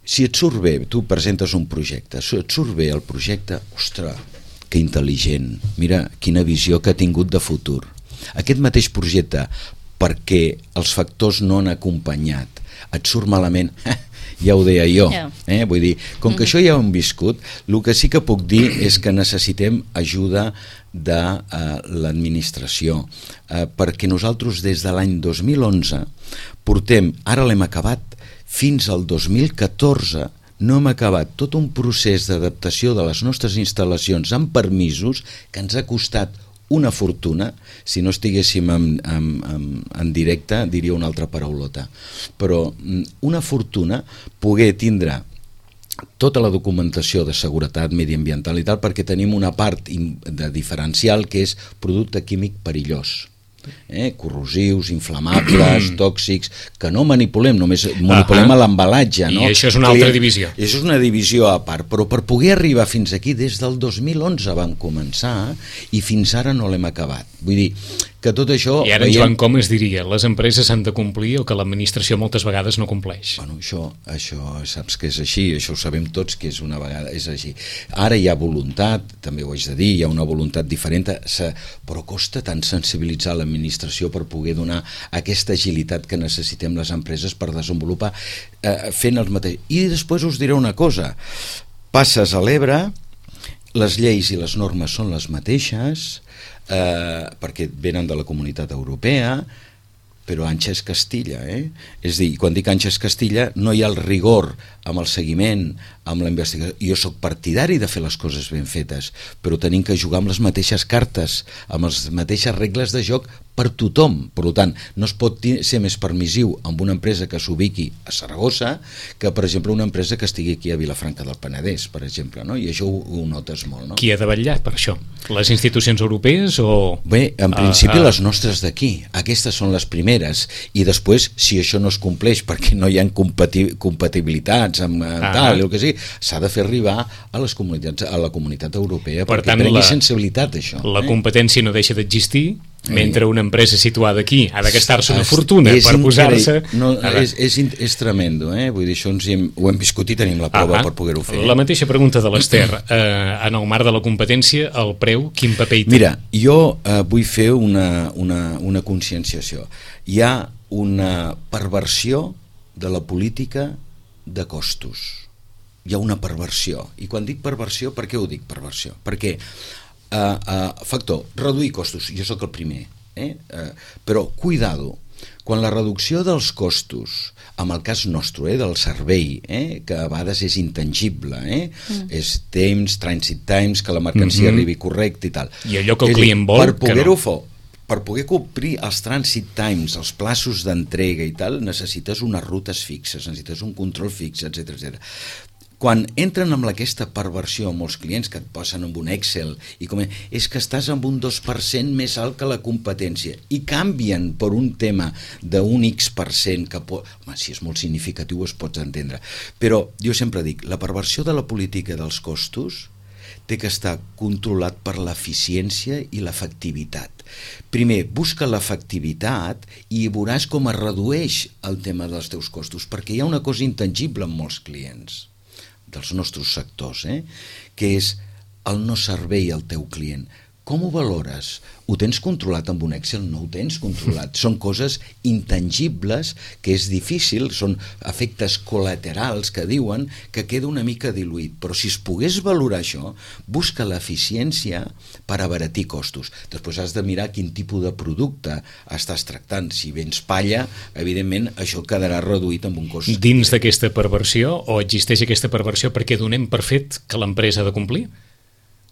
Speaker 3: si et surt bé, tu presentes un projecte, si et surt bé el projecte, ostres, que intel·ligent, mira quina visió que ha tingut de futur. Aquest mateix projecte, perquè els factors no han acompanyat, et surt malament, ja ho deia jo, eh? Vull dir, com que això ja ho hem viscut, el que sí que puc dir és que necessitem ajuda de uh, l'administració, uh, perquè nosaltres des de l'any dos mil onze portem, ara l'hem acabat, fins al dos mil catorze no hem acabat tot un procés d'adaptació de les nostres instal·lacions amb permisos que ens ha costat una fortuna. Si no estiguéssim en, en, en, en directe diria una altra paraulota, però una fortuna poder tindre tota la documentació de seguretat mediambiental i tal, perquè tenim una part de diferencial que és producte químic perillós, eh? corrosius, inflamables, tòxics, que no manipulem, només manipulem uh -huh. l'embalatge. No?
Speaker 1: I això és una altra divisió.
Speaker 3: Això és una divisió a part, però per poder arribar fins aquí, des del dos mil onze vam començar i fins ara no l'hem acabat. Vull dir, que tot això...
Speaker 1: I ara en Joan Com es diria, les empreses han de complir el que l'administració moltes vegades no compleix.
Speaker 3: Bueno, això, això saps que és així, això ho sabem tots que és una vegada, és així. Ara hi ha voluntat, també ho haig de dir, hi ha una voluntat diferent, però costa tant sensibilitzar l'administració per poder donar aquesta agilitat que necessitem les empreses per desenvolupar eh, fent els mateixos. I després us diré una cosa, passes a l'Ebre, les lleis i les normes són les mateixes, eh, perquè venen de la Comunitat Europea, però Anxa és Castilla, eh? És a dir, quan dic Anxa és Castilla no hi ha el rigor amb el seguiment, amb la investigació. Jo sóc partidari de fer les coses ben fetes, però tenim que jugar amb les mateixes cartes, amb les mateixes regles de joc per tothom. Per tant, no es pot ser més permissiu amb una empresa que s'ubiqui a Saragossa que, per exemple, una empresa que estigui aquí a Vilafranca del Penedès, per exemple, no? I això ho, ho notes molt, no?
Speaker 1: Qui ha de vetllar per això? Les institucions europees o...
Speaker 3: Bé, en principi uh, uh... les nostres d'aquí. Aquestes són les primeres. I després, si això no es compleix perquè no hi ha compati compatibilitats amb uh, tal, el que sigui, s'ha de fer arribar a les comunitats, a la comunitat europea per perquè tant, prengui la, sensibilitat això.
Speaker 1: La
Speaker 3: eh?
Speaker 1: competència no deixa d'existir, mentre una empresa situada aquí ha de gastar-se una fortuna per posar-se...
Speaker 3: No, és, és, és tremendo, eh? Vull dir, això ens hem, ho hem viscut i tenim la prova ah, per poder-ho fer.
Speaker 1: La mateixa pregunta de l'Ester, eh, en el marc de la competència, el preu, quin paper hi té?
Speaker 3: Mira, jo eh, vull fer una, una, una conscienciació. Hi ha una perversió de la política de costos. Hi ha una perversió. I quan dic perversió, per què ho dic perversió? Perquè Uh, uh, factor, reduir costos, jo sóc el primer, eh? uh, però cuidado, quan la reducció dels costos, en el cas nostre, eh, del servei, eh, que a vegades és intangible, eh? mm. és temps, transit times, que la mercancia mm-hmm. arribi correcte i tal.
Speaker 1: I allò que el client vol,
Speaker 3: per poder-ho
Speaker 1: no.
Speaker 3: fer, per poder complir els transit times, els plaços d'entrega i tal, necessites unes rutes fixes, necessites un control fix, etcètera, etcètera. Quan entren amb aquesta perversió molts clients que et posen amb un Excel i com és que estàs amb un dos per cent més alt que la competència i canvien per un tema d'un X per cent que pot... Home, si és molt significatiu es pots entendre, però jo sempre dic, la perversió de la política dels costos té que estar controlat per l'eficiència i l'efectivitat. Primer, busca l'efectivitat i veuràs com es redueix el tema dels teus costos, perquè hi ha una cosa intangible en molts clients dels nostres sectors, eh? que és el no servei al teu client. Com ho valores? Ho tens controlat amb un Excel? No ho tens controlat. Són coses intangibles que és difícil, són efectes col·laterals que diuen que queda una mica diluït. Però si es pogués valorar això, busca l'eficiència per abaratir costos. Després has de mirar quin tipus de producte estàs tractant. Si vens palla, evidentment això quedarà reduït amb un cost.
Speaker 1: Dins d'aquesta perversió, o existeix aquesta perversió perquè donem per fet que l'empresa ha de complir?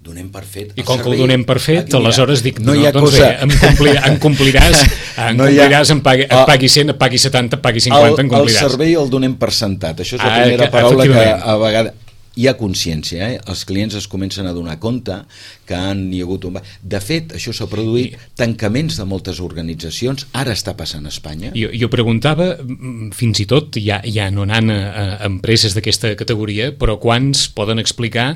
Speaker 3: donem per fet.
Speaker 1: I com que ho donem per fet, aleshores dic,
Speaker 3: no,
Speaker 1: no,
Speaker 3: no
Speaker 1: doncs
Speaker 3: cosa...
Speaker 1: bé, em, complir, em compliràs, em
Speaker 3: no
Speaker 1: compliràs,
Speaker 3: ha...
Speaker 1: em pagui, et pagui cent, et pagui setanta, et pagui cinquanta, em compliràs.
Speaker 3: El servei el donem per sentat. Això és la
Speaker 1: ah,
Speaker 3: primera
Speaker 1: que,
Speaker 3: paraula que a vegades... Hi ha consciència, eh? Els clients es comencen a donar compte que han hi ha hagut un... De fet, això s'ha produït tancaments de moltes organitzacions, ara està passant a Espanya.
Speaker 1: Jo, jo preguntava, fins i tot, ja, ja no anant a, a empreses d'aquesta categoria, però quants poden explicar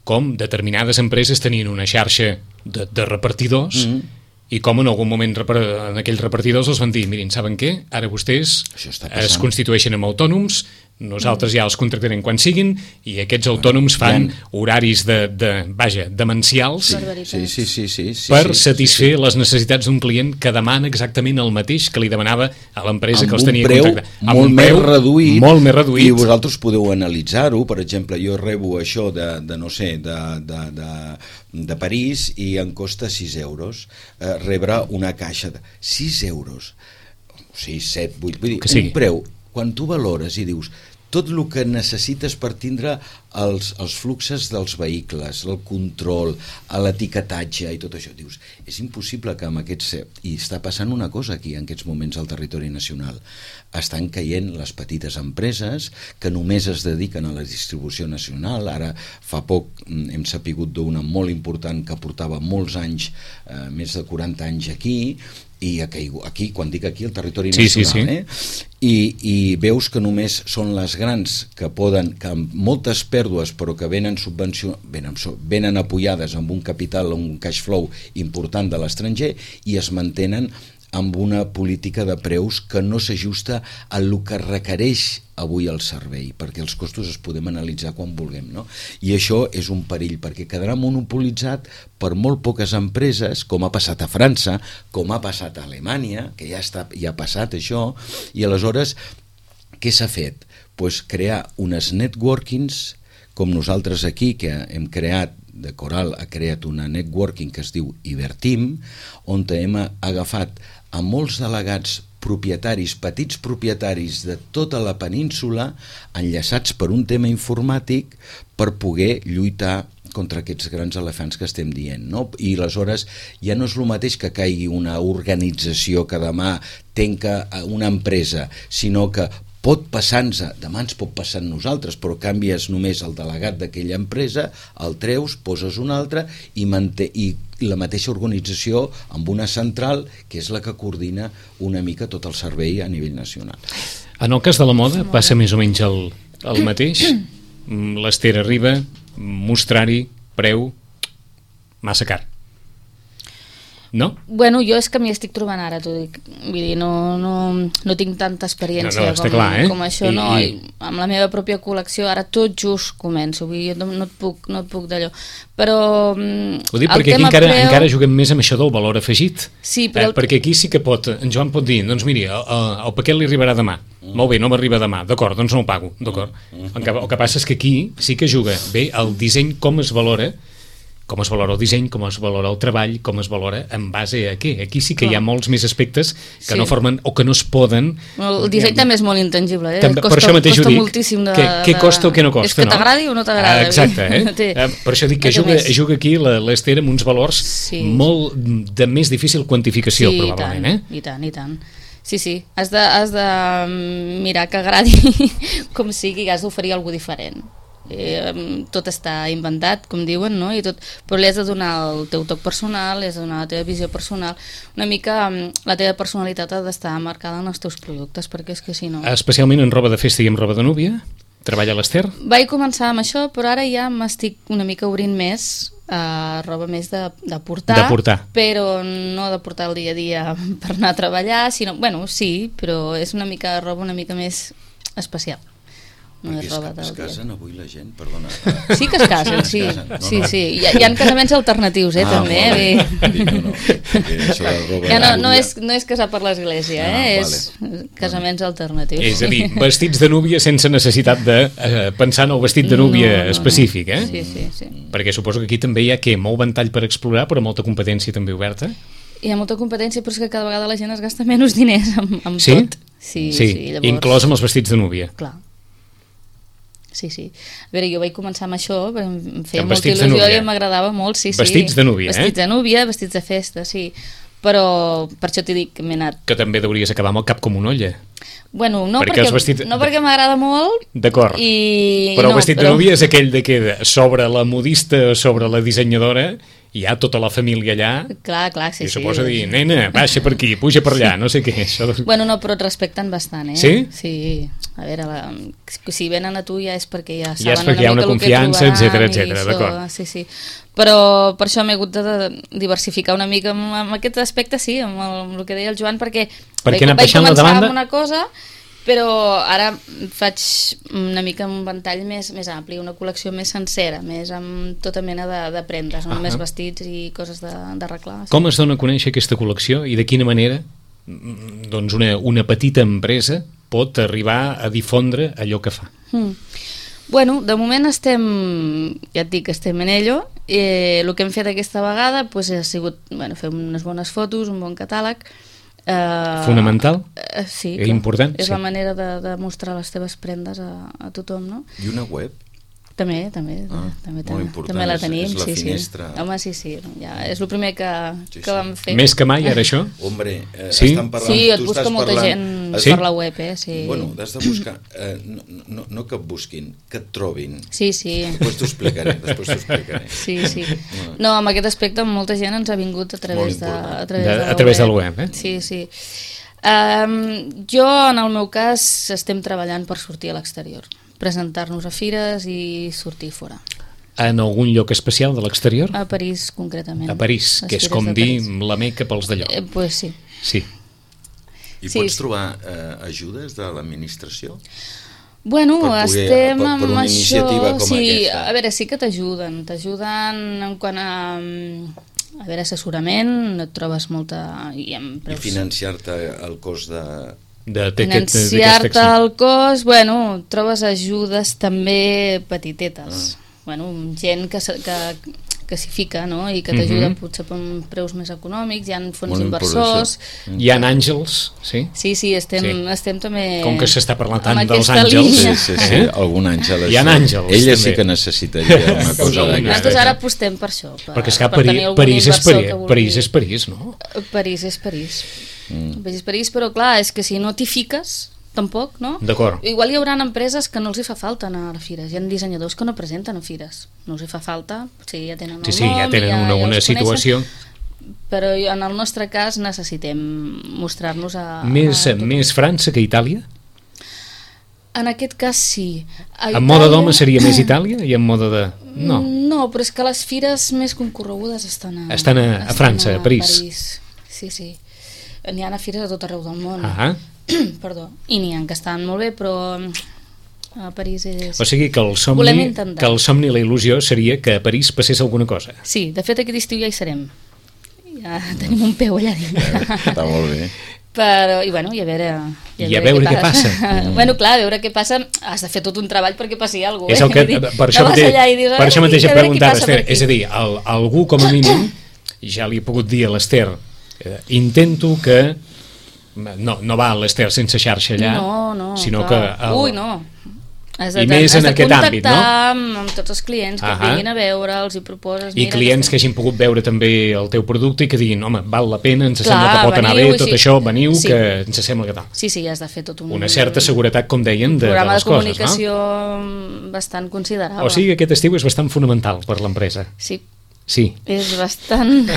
Speaker 1: com determinades empreses tenien una xarxa de, de repartidors mm-hmm. i com en algun moment en aquells repartidors els van dir, mirin, saben què? Ara vostès es constitueixen en autònoms, nosaltres ja els contractarem quan siguin i aquests autònoms fan ja... horaris de, de, vaja, demencials
Speaker 3: sí, sí, sí, sí, sí,
Speaker 1: per
Speaker 3: sí,
Speaker 1: satisfer
Speaker 3: sí, sí.
Speaker 1: les necessitats d'un client que demana exactament el mateix que li demanava a l'empresa que els tenia contractat.
Speaker 3: Amb molt un preu més reduït,
Speaker 1: molt més reduït.
Speaker 3: I vosaltres podeu analitzar-ho. Per exemple, jo rebo això de, de no sé, de, de, de, de París i em costa sis euros eh, rebre una caixa de sis euros, sis, set, vuit, vull dir, un preu. Quan tu valores i dius tot el que necessites per tindre els, els fluxes dels vehicles, el control, l'etiquetatge i tot això, dius, és impossible que amb aquests... I està passant una cosa aquí en aquests moments al territori nacional. Estan caient les petites empreses que només es dediquen a la distribució nacional. Ara fa poc hem sapigut d'una molt important que portava molts anys, eh, més de quaranta anys aquí, i aquí, quan dic aquí, el territori nacional,
Speaker 1: sí, sí, sí.
Speaker 3: eh? I, i veus que només són les grans que poden, que amb moltes pèrdues però que venen subvenció, venen, venen apoyades amb un capital, un cash flow important de l'estranger i es mantenen amb una política de preus que no s'ajusta a el que requereix avui el servei, perquè els costos es podem analitzar quan vulguem, no? I això és un perill, perquè quedarà monopolitzat per molt poques empreses, com ha passat a França, com ha passat a Alemanya, que ja, està, ja ha passat això, i aleshores què s'ha fet? Pues crear unes networkings, com nosaltres aquí, que hem creat, de Coral ha creat una networking que es diu Iberteam, on hem agafat a molts delegats propietaris, petits propietaris de tota la península, enllaçats per un tema informàtic per poder lluitar contra aquests grans elefants que estem dient, no? I aleshores ja no és el mateix que caigui una organització que demà tenca una empresa, sinó que pot passar-nos, demà ens pot passar a nosaltres, però canvies només el delegat d'aquella empresa, el treus, poses un altre i, manté, i la mateixa organització amb una central que és la que coordina una mica tot el servei a nivell nacional.
Speaker 1: En el cas de la moda passa més o menys el, el mateix. L'Ester arriba, mostrar-hi, preu, massa car. No?
Speaker 2: Bueno, jo és que m'hi estic trobant ara, t'ho dic. Vull dir, no, no, no tinc tanta experiència
Speaker 1: no, no,
Speaker 2: com,
Speaker 1: clar, eh?
Speaker 2: com això, I, no. I... Amb la meva pròpia col·lecció, ara tot just començo, vull dir, no, no et puc, no et puc d'allò. Però...
Speaker 1: Ho dic perquè aquí encara, preu... encara juguem més amb això del valor afegit.
Speaker 2: Sí, però...
Speaker 1: Eh, perquè aquí sí que pot, en Joan pot dir, doncs miri, el, el paquet li arribarà demà. Mm. Molt bé, no m'arriba demà, d'acord, doncs no ho pago, d'acord. Mm. El, que, el que passa és que aquí sí que juga bé el disseny, com es valora, com es valora el disseny, com es valora el treball, com es valora en base a què. Aquí sí que Clar. Hi ha molts més aspectes que sí. no formen o que no es poden...
Speaker 2: El disseny eh, també és molt intangible, eh?
Speaker 1: També,
Speaker 2: costa,
Speaker 1: per això mateix ho dic,
Speaker 2: de,
Speaker 1: què, què costa o què no costa,
Speaker 2: és que
Speaker 1: no?
Speaker 2: t'agradi o no t'agrada.
Speaker 1: Ah, exacte, eh? Té, per això dic que juga, juga aquí l'Ester amb uns valors sí. molt de més difícil quantificació,
Speaker 2: sí,
Speaker 1: probablement,
Speaker 2: i tant,
Speaker 1: eh?
Speaker 2: i tant, i tant. Sí, sí, has de, has de mirar que agradi com sigui, has d'oferir alguna diferent. Eh, tot està inventat, com diuen, no? I tot, però li has de donar el teu toc personal, li has de donar la teva visió personal, una mica la teva personalitat ha d'estar marcada en els teus productes, perquè és que si no...
Speaker 1: Especialment en roba de festa i en roba de núvia? Treballa l'Ester?
Speaker 2: Vaig començar amb això, però ara ja m'estic una mica obrint més a roba més de, de portar,
Speaker 1: de portar,
Speaker 2: però no de portar el dia a dia per anar a treballar, sinó, bueno, sí, però és una mica roba una mica més especial. No
Speaker 3: és roba es casen avui la gent, perdona.
Speaker 2: Sí que es casen, sí, es casen. No, sí, no. sí. Hi ha, hi ha casaments alternatius, eh, ah, també.
Speaker 3: Vale. No, no.
Speaker 2: Ja no, no, és, no és casar per l'església, eh? Ah, és vale. Casaments alternatius.
Speaker 1: És a dir, vestits de núvia sense necessitat de eh, pensar en el vestit de núvia no, no, específic, eh?
Speaker 2: Sí, sí, sí.
Speaker 1: Perquè suposo que aquí també hi ha què, molt ventall per explorar, però molta competència també oberta.
Speaker 2: Hi ha molta competència, però és que cada vegada la gent es gasta menys diners amb, amb
Speaker 1: sí?
Speaker 2: tot. Sí,
Speaker 1: sí,
Speaker 2: sí. Llavors...
Speaker 1: inclòs amb els vestits de núvia.
Speaker 2: Clar. Sí, sí. A veure, jo vaig començar amb això, em feia
Speaker 1: Amb
Speaker 2: molta
Speaker 1: vestits de
Speaker 2: il·lusió
Speaker 1: núvia.
Speaker 2: i m'agradava molt, sí, sí.
Speaker 1: Vestits de núvia, eh?
Speaker 2: Vestits de núvia, vestits de festa, sí. Però per això t'he dit que m'he anat...
Speaker 1: Que també deuries acabar amb el cap com una olla.
Speaker 2: Bueno, no
Speaker 1: Perquè
Speaker 2: perquè,
Speaker 1: els vestits-
Speaker 2: no perquè m'agrada molt...
Speaker 1: D'acord.
Speaker 2: I...
Speaker 1: Però
Speaker 2: no,
Speaker 1: el vestit de núvia és aquell de que sobre la modista o sobre la dissenyadora hi ha tota la família allà
Speaker 2: Clar, clar, sí,
Speaker 1: i
Speaker 2: sí.
Speaker 1: se posa a dir, nena, baixa per aquí, puja per allà, no sé què. Això...
Speaker 2: Bueno, no, però et respecten bastant, eh?
Speaker 1: Sí?
Speaker 2: Sí. A veure, la... si venen a tu ja és perquè ja saben
Speaker 1: Ja és perquè hi ha
Speaker 2: una
Speaker 1: una
Speaker 2: mica el que
Speaker 1: confiança,
Speaker 2: trobaran
Speaker 1: etcètera,
Speaker 2: i
Speaker 1: etcètera,
Speaker 2: això,
Speaker 1: d'acord.
Speaker 2: Sí, sí. Però per això m'he hagut de diversificar una mica amb, amb aquest aspecte, sí, amb el, amb el que deia el Joan, perquè,
Speaker 1: Perquè
Speaker 2: vaig,
Speaker 1: anant
Speaker 2: vaig
Speaker 1: baixant la
Speaker 2: començar
Speaker 1: demanda-
Speaker 2: amb una cosa, però ara faig una mica un ventall més, més ampli, una col·lecció més sencera, més amb tota mena de, de prendes, no
Speaker 1: Ah.
Speaker 2: només vestits i coses de- d'arreglar. Sí.
Speaker 1: Com es dona a conèixer aquesta col·lecció i de quina manera mm, doncs una, una petita empresa pot arribar a difondre allò que fa?
Speaker 2: Mm. Bueno, de moment estem, ja et dic, estem en ello. Eh, el que hem fet aquesta vegada pues, ha sigut bueno, fer unes bones fotos, un bon catàleg. Eh,
Speaker 1: Fonamental?
Speaker 2: Eh, sí,
Speaker 1: És important,
Speaker 2: és
Speaker 1: sí.
Speaker 2: la manera de, de mostrar les teves prendes a, a tothom, no?
Speaker 3: I una web?
Speaker 2: També, també,
Speaker 3: Ah,
Speaker 2: també,
Speaker 3: molt
Speaker 2: també,
Speaker 3: important,
Speaker 2: també la
Speaker 3: és-
Speaker 2: tenim,
Speaker 3: és la
Speaker 2: sí,
Speaker 3: finestra.
Speaker 2: sí. Home, sí, sí, ja, és el primer que,
Speaker 3: Sí,
Speaker 2: que
Speaker 3: sí.
Speaker 2: vam fer.
Speaker 1: Més que mai, ara, això?
Speaker 3: Hombre, eh,
Speaker 1: Sí?
Speaker 3: estan parlant...
Speaker 2: Sí, et
Speaker 3: tu
Speaker 2: busca
Speaker 3: estàs
Speaker 2: molta
Speaker 3: parlant-
Speaker 2: gent
Speaker 1: Sí?
Speaker 2: per la web, eh? Sí,
Speaker 3: Bueno, has de buscar... Eh, no, no, no que et busquin, que et trobin.
Speaker 2: sí, sí.
Speaker 3: Després t'ho explicaré, després t'ho explicaré.
Speaker 2: Sí, sí. No, amb aquest aspecte molta gent ens ha vingut a través, de,
Speaker 3: important.
Speaker 2: a través,
Speaker 1: De-
Speaker 2: de,
Speaker 1: a través del web, eh?
Speaker 2: Sí, sí. Um, jo, en el meu cas, estem treballant per sortir a l'exterior, presentar-nos a fires i sortir fora.
Speaker 1: En algun lloc especial de l'exterior?
Speaker 2: A París, concretament.
Speaker 1: A París,
Speaker 2: Les
Speaker 1: que és
Speaker 2: fires
Speaker 1: com
Speaker 2: de
Speaker 1: dir
Speaker 2: París.
Speaker 1: la Meca pels d'allò.
Speaker 2: Eh, pues sí.
Speaker 1: Sí.
Speaker 3: I
Speaker 2: Sí,
Speaker 3: pots
Speaker 2: sí.
Speaker 3: trobar eh, ajudes de l'administració?
Speaker 2: Bueno,
Speaker 3: Per poder-
Speaker 2: estem
Speaker 3: per- per
Speaker 2: amb
Speaker 3: una
Speaker 2: això...
Speaker 3: iniciativa com
Speaker 2: sí,
Speaker 3: aquesta.
Speaker 2: a veure, sí que t'ajuden. T'ajuden en quant a... A veure, assessorament, et trobes molta... I, amb
Speaker 3: I
Speaker 2: preus...
Speaker 3: financiar-te el cost de...
Speaker 1: De, d'aquest-
Speaker 2: Financiar-te
Speaker 1: d'aquesta
Speaker 2: el cost, bueno, trobes ajudes també petitetes.
Speaker 3: Ah.
Speaker 2: Bueno, gent que, se- que, que s'hi fica, no? I que t'ajuda
Speaker 1: Mhm.
Speaker 2: potser per preus més econòmics, hi ha fons
Speaker 3: Molt
Speaker 2: inversors...
Speaker 3: important.
Speaker 1: Hi ha àngels, sí?
Speaker 2: Sí, sí, estem,
Speaker 1: Sí.
Speaker 2: estem també...
Speaker 1: Com que s'està parlant tant
Speaker 2: amb
Speaker 1: dels
Speaker 2: aquesta
Speaker 1: àngels.
Speaker 2: línia.
Speaker 3: Sí, sí, sí,
Speaker 1: Eh?
Speaker 3: algun àngel.
Speaker 1: Hi ha
Speaker 3: això.
Speaker 1: àngels,
Speaker 3: Ella
Speaker 1: també.
Speaker 3: sí que necessitaria una
Speaker 2: Sí,
Speaker 3: cosa d'aquesta.
Speaker 2: nosaltres ara apostem per això. Per,
Speaker 1: Perquè és que
Speaker 2: per
Speaker 1: París,
Speaker 2: tenir algun
Speaker 1: París, és
Speaker 2: inversor
Speaker 1: París,
Speaker 2: que vulgui-
Speaker 1: París és París, no?
Speaker 2: París és París.
Speaker 3: Mm.
Speaker 2: París és París, però clar, és que si no t'hi fiques, tampoc, no?
Speaker 1: D'acord.
Speaker 2: Igual hi haurà empreses que no els hi fa falta anar a fires. Hi ha dissenyadors que no presenten a fires. No els hi fa falta, sí, ja tenen el
Speaker 1: Sí, sí,
Speaker 2: nom,
Speaker 1: ja tenen
Speaker 2: ja,
Speaker 1: una,
Speaker 2: ja
Speaker 1: una
Speaker 2: els
Speaker 1: situació.
Speaker 2: coneixen, però en el nostre cas necessitem mostrar-nos a...
Speaker 1: Més,
Speaker 2: a tothom.
Speaker 1: més França que Itàlia?
Speaker 2: En aquest cas sí. A
Speaker 1: En moda
Speaker 2: Itàlia-
Speaker 1: d'home seria més Itàlia i en moda de... No.
Speaker 2: No, però és que les fires més concorregudes estan a,
Speaker 1: Estan a- a França, a París.
Speaker 2: Sí, sí. N'hi ha a fires a tot arreu del món.
Speaker 1: Ah,
Speaker 2: Perdó. I n'hi ha que estan molt bé, però a París és...
Speaker 1: o sigui que el
Speaker 2: Volem
Speaker 1: somni,
Speaker 2: intentar.
Speaker 1: que el somni i la il·lusió seria que a París passés alguna cosa.
Speaker 2: Sí, de fet aquest estiu ja hi serem. Ja tenim un peu allà dintre.
Speaker 3: Està molt bé.
Speaker 2: Però, i bueno, i a veure...
Speaker 1: I a veure què passa.
Speaker 2: Bueno, clar, a veure què passa, has de fer tot un treball perquè passi alguna
Speaker 1: És
Speaker 2: cosa.
Speaker 1: el que, per això mateix, per això mateix he preguntat, Esther, és a dir, el, algú com a mínim, ja li he pogut dir a l'Esther, eh, intento que no, no va l'Esther sense xarxa allà,
Speaker 2: No, no,
Speaker 1: sinó
Speaker 2: clar.
Speaker 1: que el,
Speaker 2: Ui, no. Has de,
Speaker 1: I més
Speaker 2: has
Speaker 1: en
Speaker 2: de
Speaker 1: aquest àmbit, no?
Speaker 2: contactar amb, amb tots els clients que
Speaker 1: Ahà.
Speaker 2: et vinguin a veure, els hi proposes...
Speaker 1: i
Speaker 2: mira,
Speaker 1: clients que
Speaker 2: estem-
Speaker 1: hagin pogut veure també el teu producte i que diguin, home, val la pena, ens
Speaker 2: Clar,
Speaker 1: sembla que pot anar bé,
Speaker 2: veniu,
Speaker 1: tot
Speaker 2: sí.
Speaker 1: això, veniu,
Speaker 2: Sí.
Speaker 1: que ens sembla que tal.
Speaker 2: Sí, sí, has de fer tot un...
Speaker 1: Una certa seguretat, com deien, de, de
Speaker 2: programa de,
Speaker 1: les coses,
Speaker 2: comunicació bastant considerable.
Speaker 1: no? O sigui que aquest estiu és bastant fonamental per l'empresa.
Speaker 2: Sí,
Speaker 1: Sí.
Speaker 2: és bastant...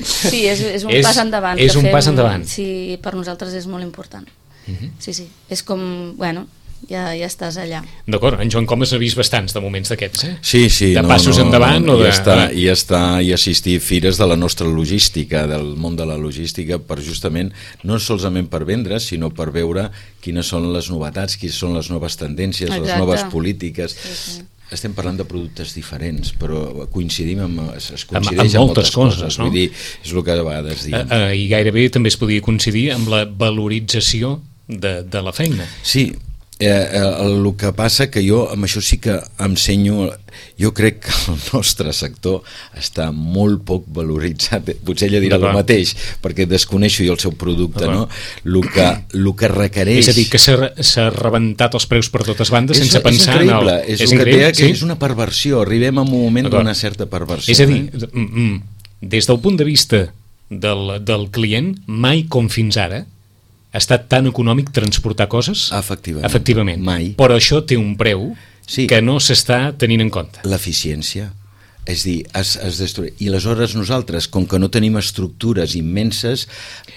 Speaker 2: sí, és, és un
Speaker 1: És-
Speaker 2: pas endavant.
Speaker 1: és
Speaker 2: que
Speaker 1: un pas endavant.
Speaker 2: Sí, per nosaltres és molt important.
Speaker 1: Mhm.
Speaker 2: Sí, sí, és com, bueno, ja, ja estàs allà.
Speaker 1: D'acord, en Joan Comas ha vist bastants de moments d'aquests, eh?
Speaker 3: Sí, sí.
Speaker 1: De
Speaker 3: no,
Speaker 1: passos
Speaker 3: no,
Speaker 1: endavant
Speaker 3: no,
Speaker 1: o de...
Speaker 3: I està, i està i assistir a fires de la nostra logística, del món de la logística, per justament, no solament per vendre, sinó per veure quines són les novetats, quines són les noves tendències, les
Speaker 2: Exacte.
Speaker 3: noves polítiques.
Speaker 2: Sí, sí.
Speaker 3: Estem parlant de productes diferents, però coincidim amb, es es
Speaker 1: Amb-
Speaker 3: coincideix
Speaker 1: amb
Speaker 3: amb
Speaker 1: moltes coses, no?
Speaker 3: Vull dir, és el que a vegades
Speaker 1: Eh,
Speaker 3: diem.
Speaker 1: eh, I gairebé també es podia coincidir amb la valorització de, de la feina.
Speaker 3: Sí, Eh, el, el que passa que jo amb això sí que ensenyo, jo crec que el nostre sector està molt poc valoritzat, potser ella dirà el mateix perquè desconeixo jo el seu producte, no? El que, el que requereix,
Speaker 1: és a dir, que s'ha rebentat els preus per totes bandes
Speaker 3: és,
Speaker 1: sense pensar
Speaker 3: és
Speaker 1: en el...
Speaker 3: és, és, increïble, que sí? És una perversió, arribem a un moment d'una certa perversió,
Speaker 1: és a dir,
Speaker 3: eh?
Speaker 1: des del punt de vista del, del client, mai com fins ara ha estat tan econòmic transportar coses?
Speaker 3: Efectivament.
Speaker 1: Efectivament.
Speaker 3: Mai.
Speaker 1: Però això té un preu sí. que no s'està tenint en compte.
Speaker 3: L'eficiència. És dir, es, es destrueix. I aleshores nosaltres, com que no tenim estructures immenses,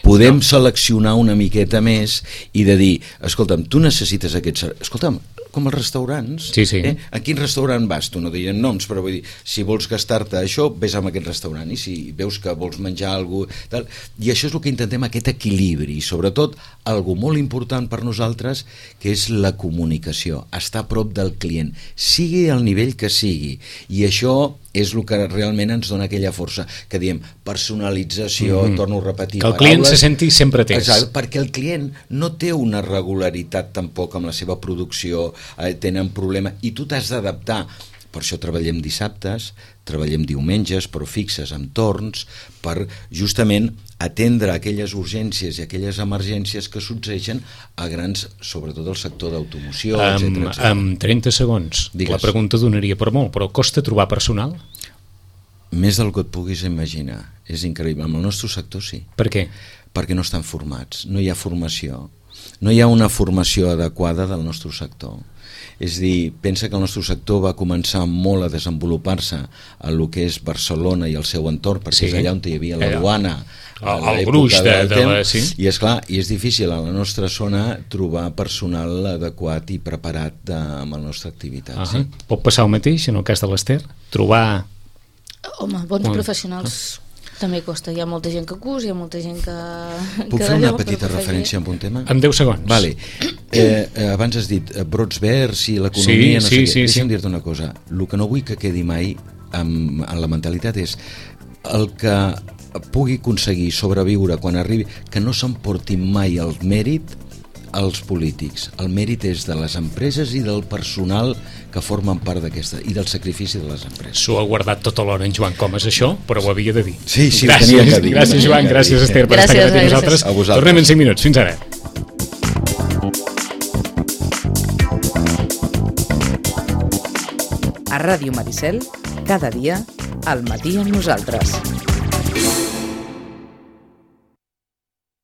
Speaker 3: podem no. seleccionar una miqueta més i de dir, escolta'm, tu necessites aquest... Escolta'm, com els restaurants,
Speaker 1: sí, sí.
Speaker 3: Eh? A quin restaurant vas? Tu no dirien noms, però vull dir, si vols gastar-te això, vés a aquest restaurant, i si veus que vols menjar alguna cosa, tal, i això és el que intentem, aquest equilibri, i sobretot, algo molt important per nosaltres, que és la comunicació, estar a prop del client, sigui al nivell que sigui, i això és el que realment ens dona aquella força, que diem personalització, mm-hmm. torno a repetir,
Speaker 1: que el client paraules, se senti sempre atès.
Speaker 3: Exacte, perquè el client no té una regularitat tampoc amb la seva producció, eh, tenen problema, i tu t'has d'adaptar. Per això treballem dissabtes, treballem diumenges, però fixes amb torns, per justament atendre aquelles urgències i aquelles emergències que succeeixen a grans, sobretot al sector d'automoció,
Speaker 1: um,
Speaker 3: etcètera, etcètera.
Speaker 1: En trenta segons, Digues. La pregunta donaria per molt, però costa trobar personal?
Speaker 3: Més del que et puguis imaginar. És increïble. En el nostre sector sí.
Speaker 1: Per què?
Speaker 3: Perquè no estan formats, no hi ha formació. No hi ha una formació adequada del nostre sector. És dir, pensa que el nostre sector va començar molt a desenvolupar-se a lo que és Barcelona i el seu entorn, perquè sí. és allà on hi havia la duana,
Speaker 1: el, el gruix de, de la... Sí.
Speaker 3: I és clar, i és difícil a la nostra zona trobar personal adequat i preparat de, amb la nostra activitat. Uh -huh. sí.
Speaker 1: Pot passar el mateix en el cas de l'Ester? Trobar...
Speaker 2: Home, bons Home. professionals... També costa, hi ha molta gent que cus, hi ha molta gent que...
Speaker 3: Puc
Speaker 2: que
Speaker 3: fer una petita referència en un tema?
Speaker 1: En deu segons.
Speaker 3: Vale. Eh, eh, abans has dit eh, brots verds i l'economia,
Speaker 1: sí,
Speaker 3: no
Speaker 1: sí,
Speaker 3: sé
Speaker 1: sí,
Speaker 3: què. Deixa'm
Speaker 1: sí.
Speaker 3: dir-te una cosa. El que no vull que quedi mai en, en la mentalitat és el que pugui aconseguir sobreviure quan arribi, que no s'emporti mai el mèrit als polítics. El mèrit és de les empreses i del personal que formen part d'aquesta, i del sacrifici de les empreses.
Speaker 1: S'ho ha guardat tota l'hora en Joan Comas, això, però ho havia de dir.
Speaker 3: Sí, sí,
Speaker 1: gràcies,
Speaker 3: ho tenia que dir.
Speaker 1: Gràcies, Joan, gràcies, Ester, per
Speaker 2: gràcies,
Speaker 1: estar aquí amb nosaltres. Tornem en cinc minuts. Fins ara.
Speaker 4: A Ràdio Maricel, cada dia, al matí amb nosaltres.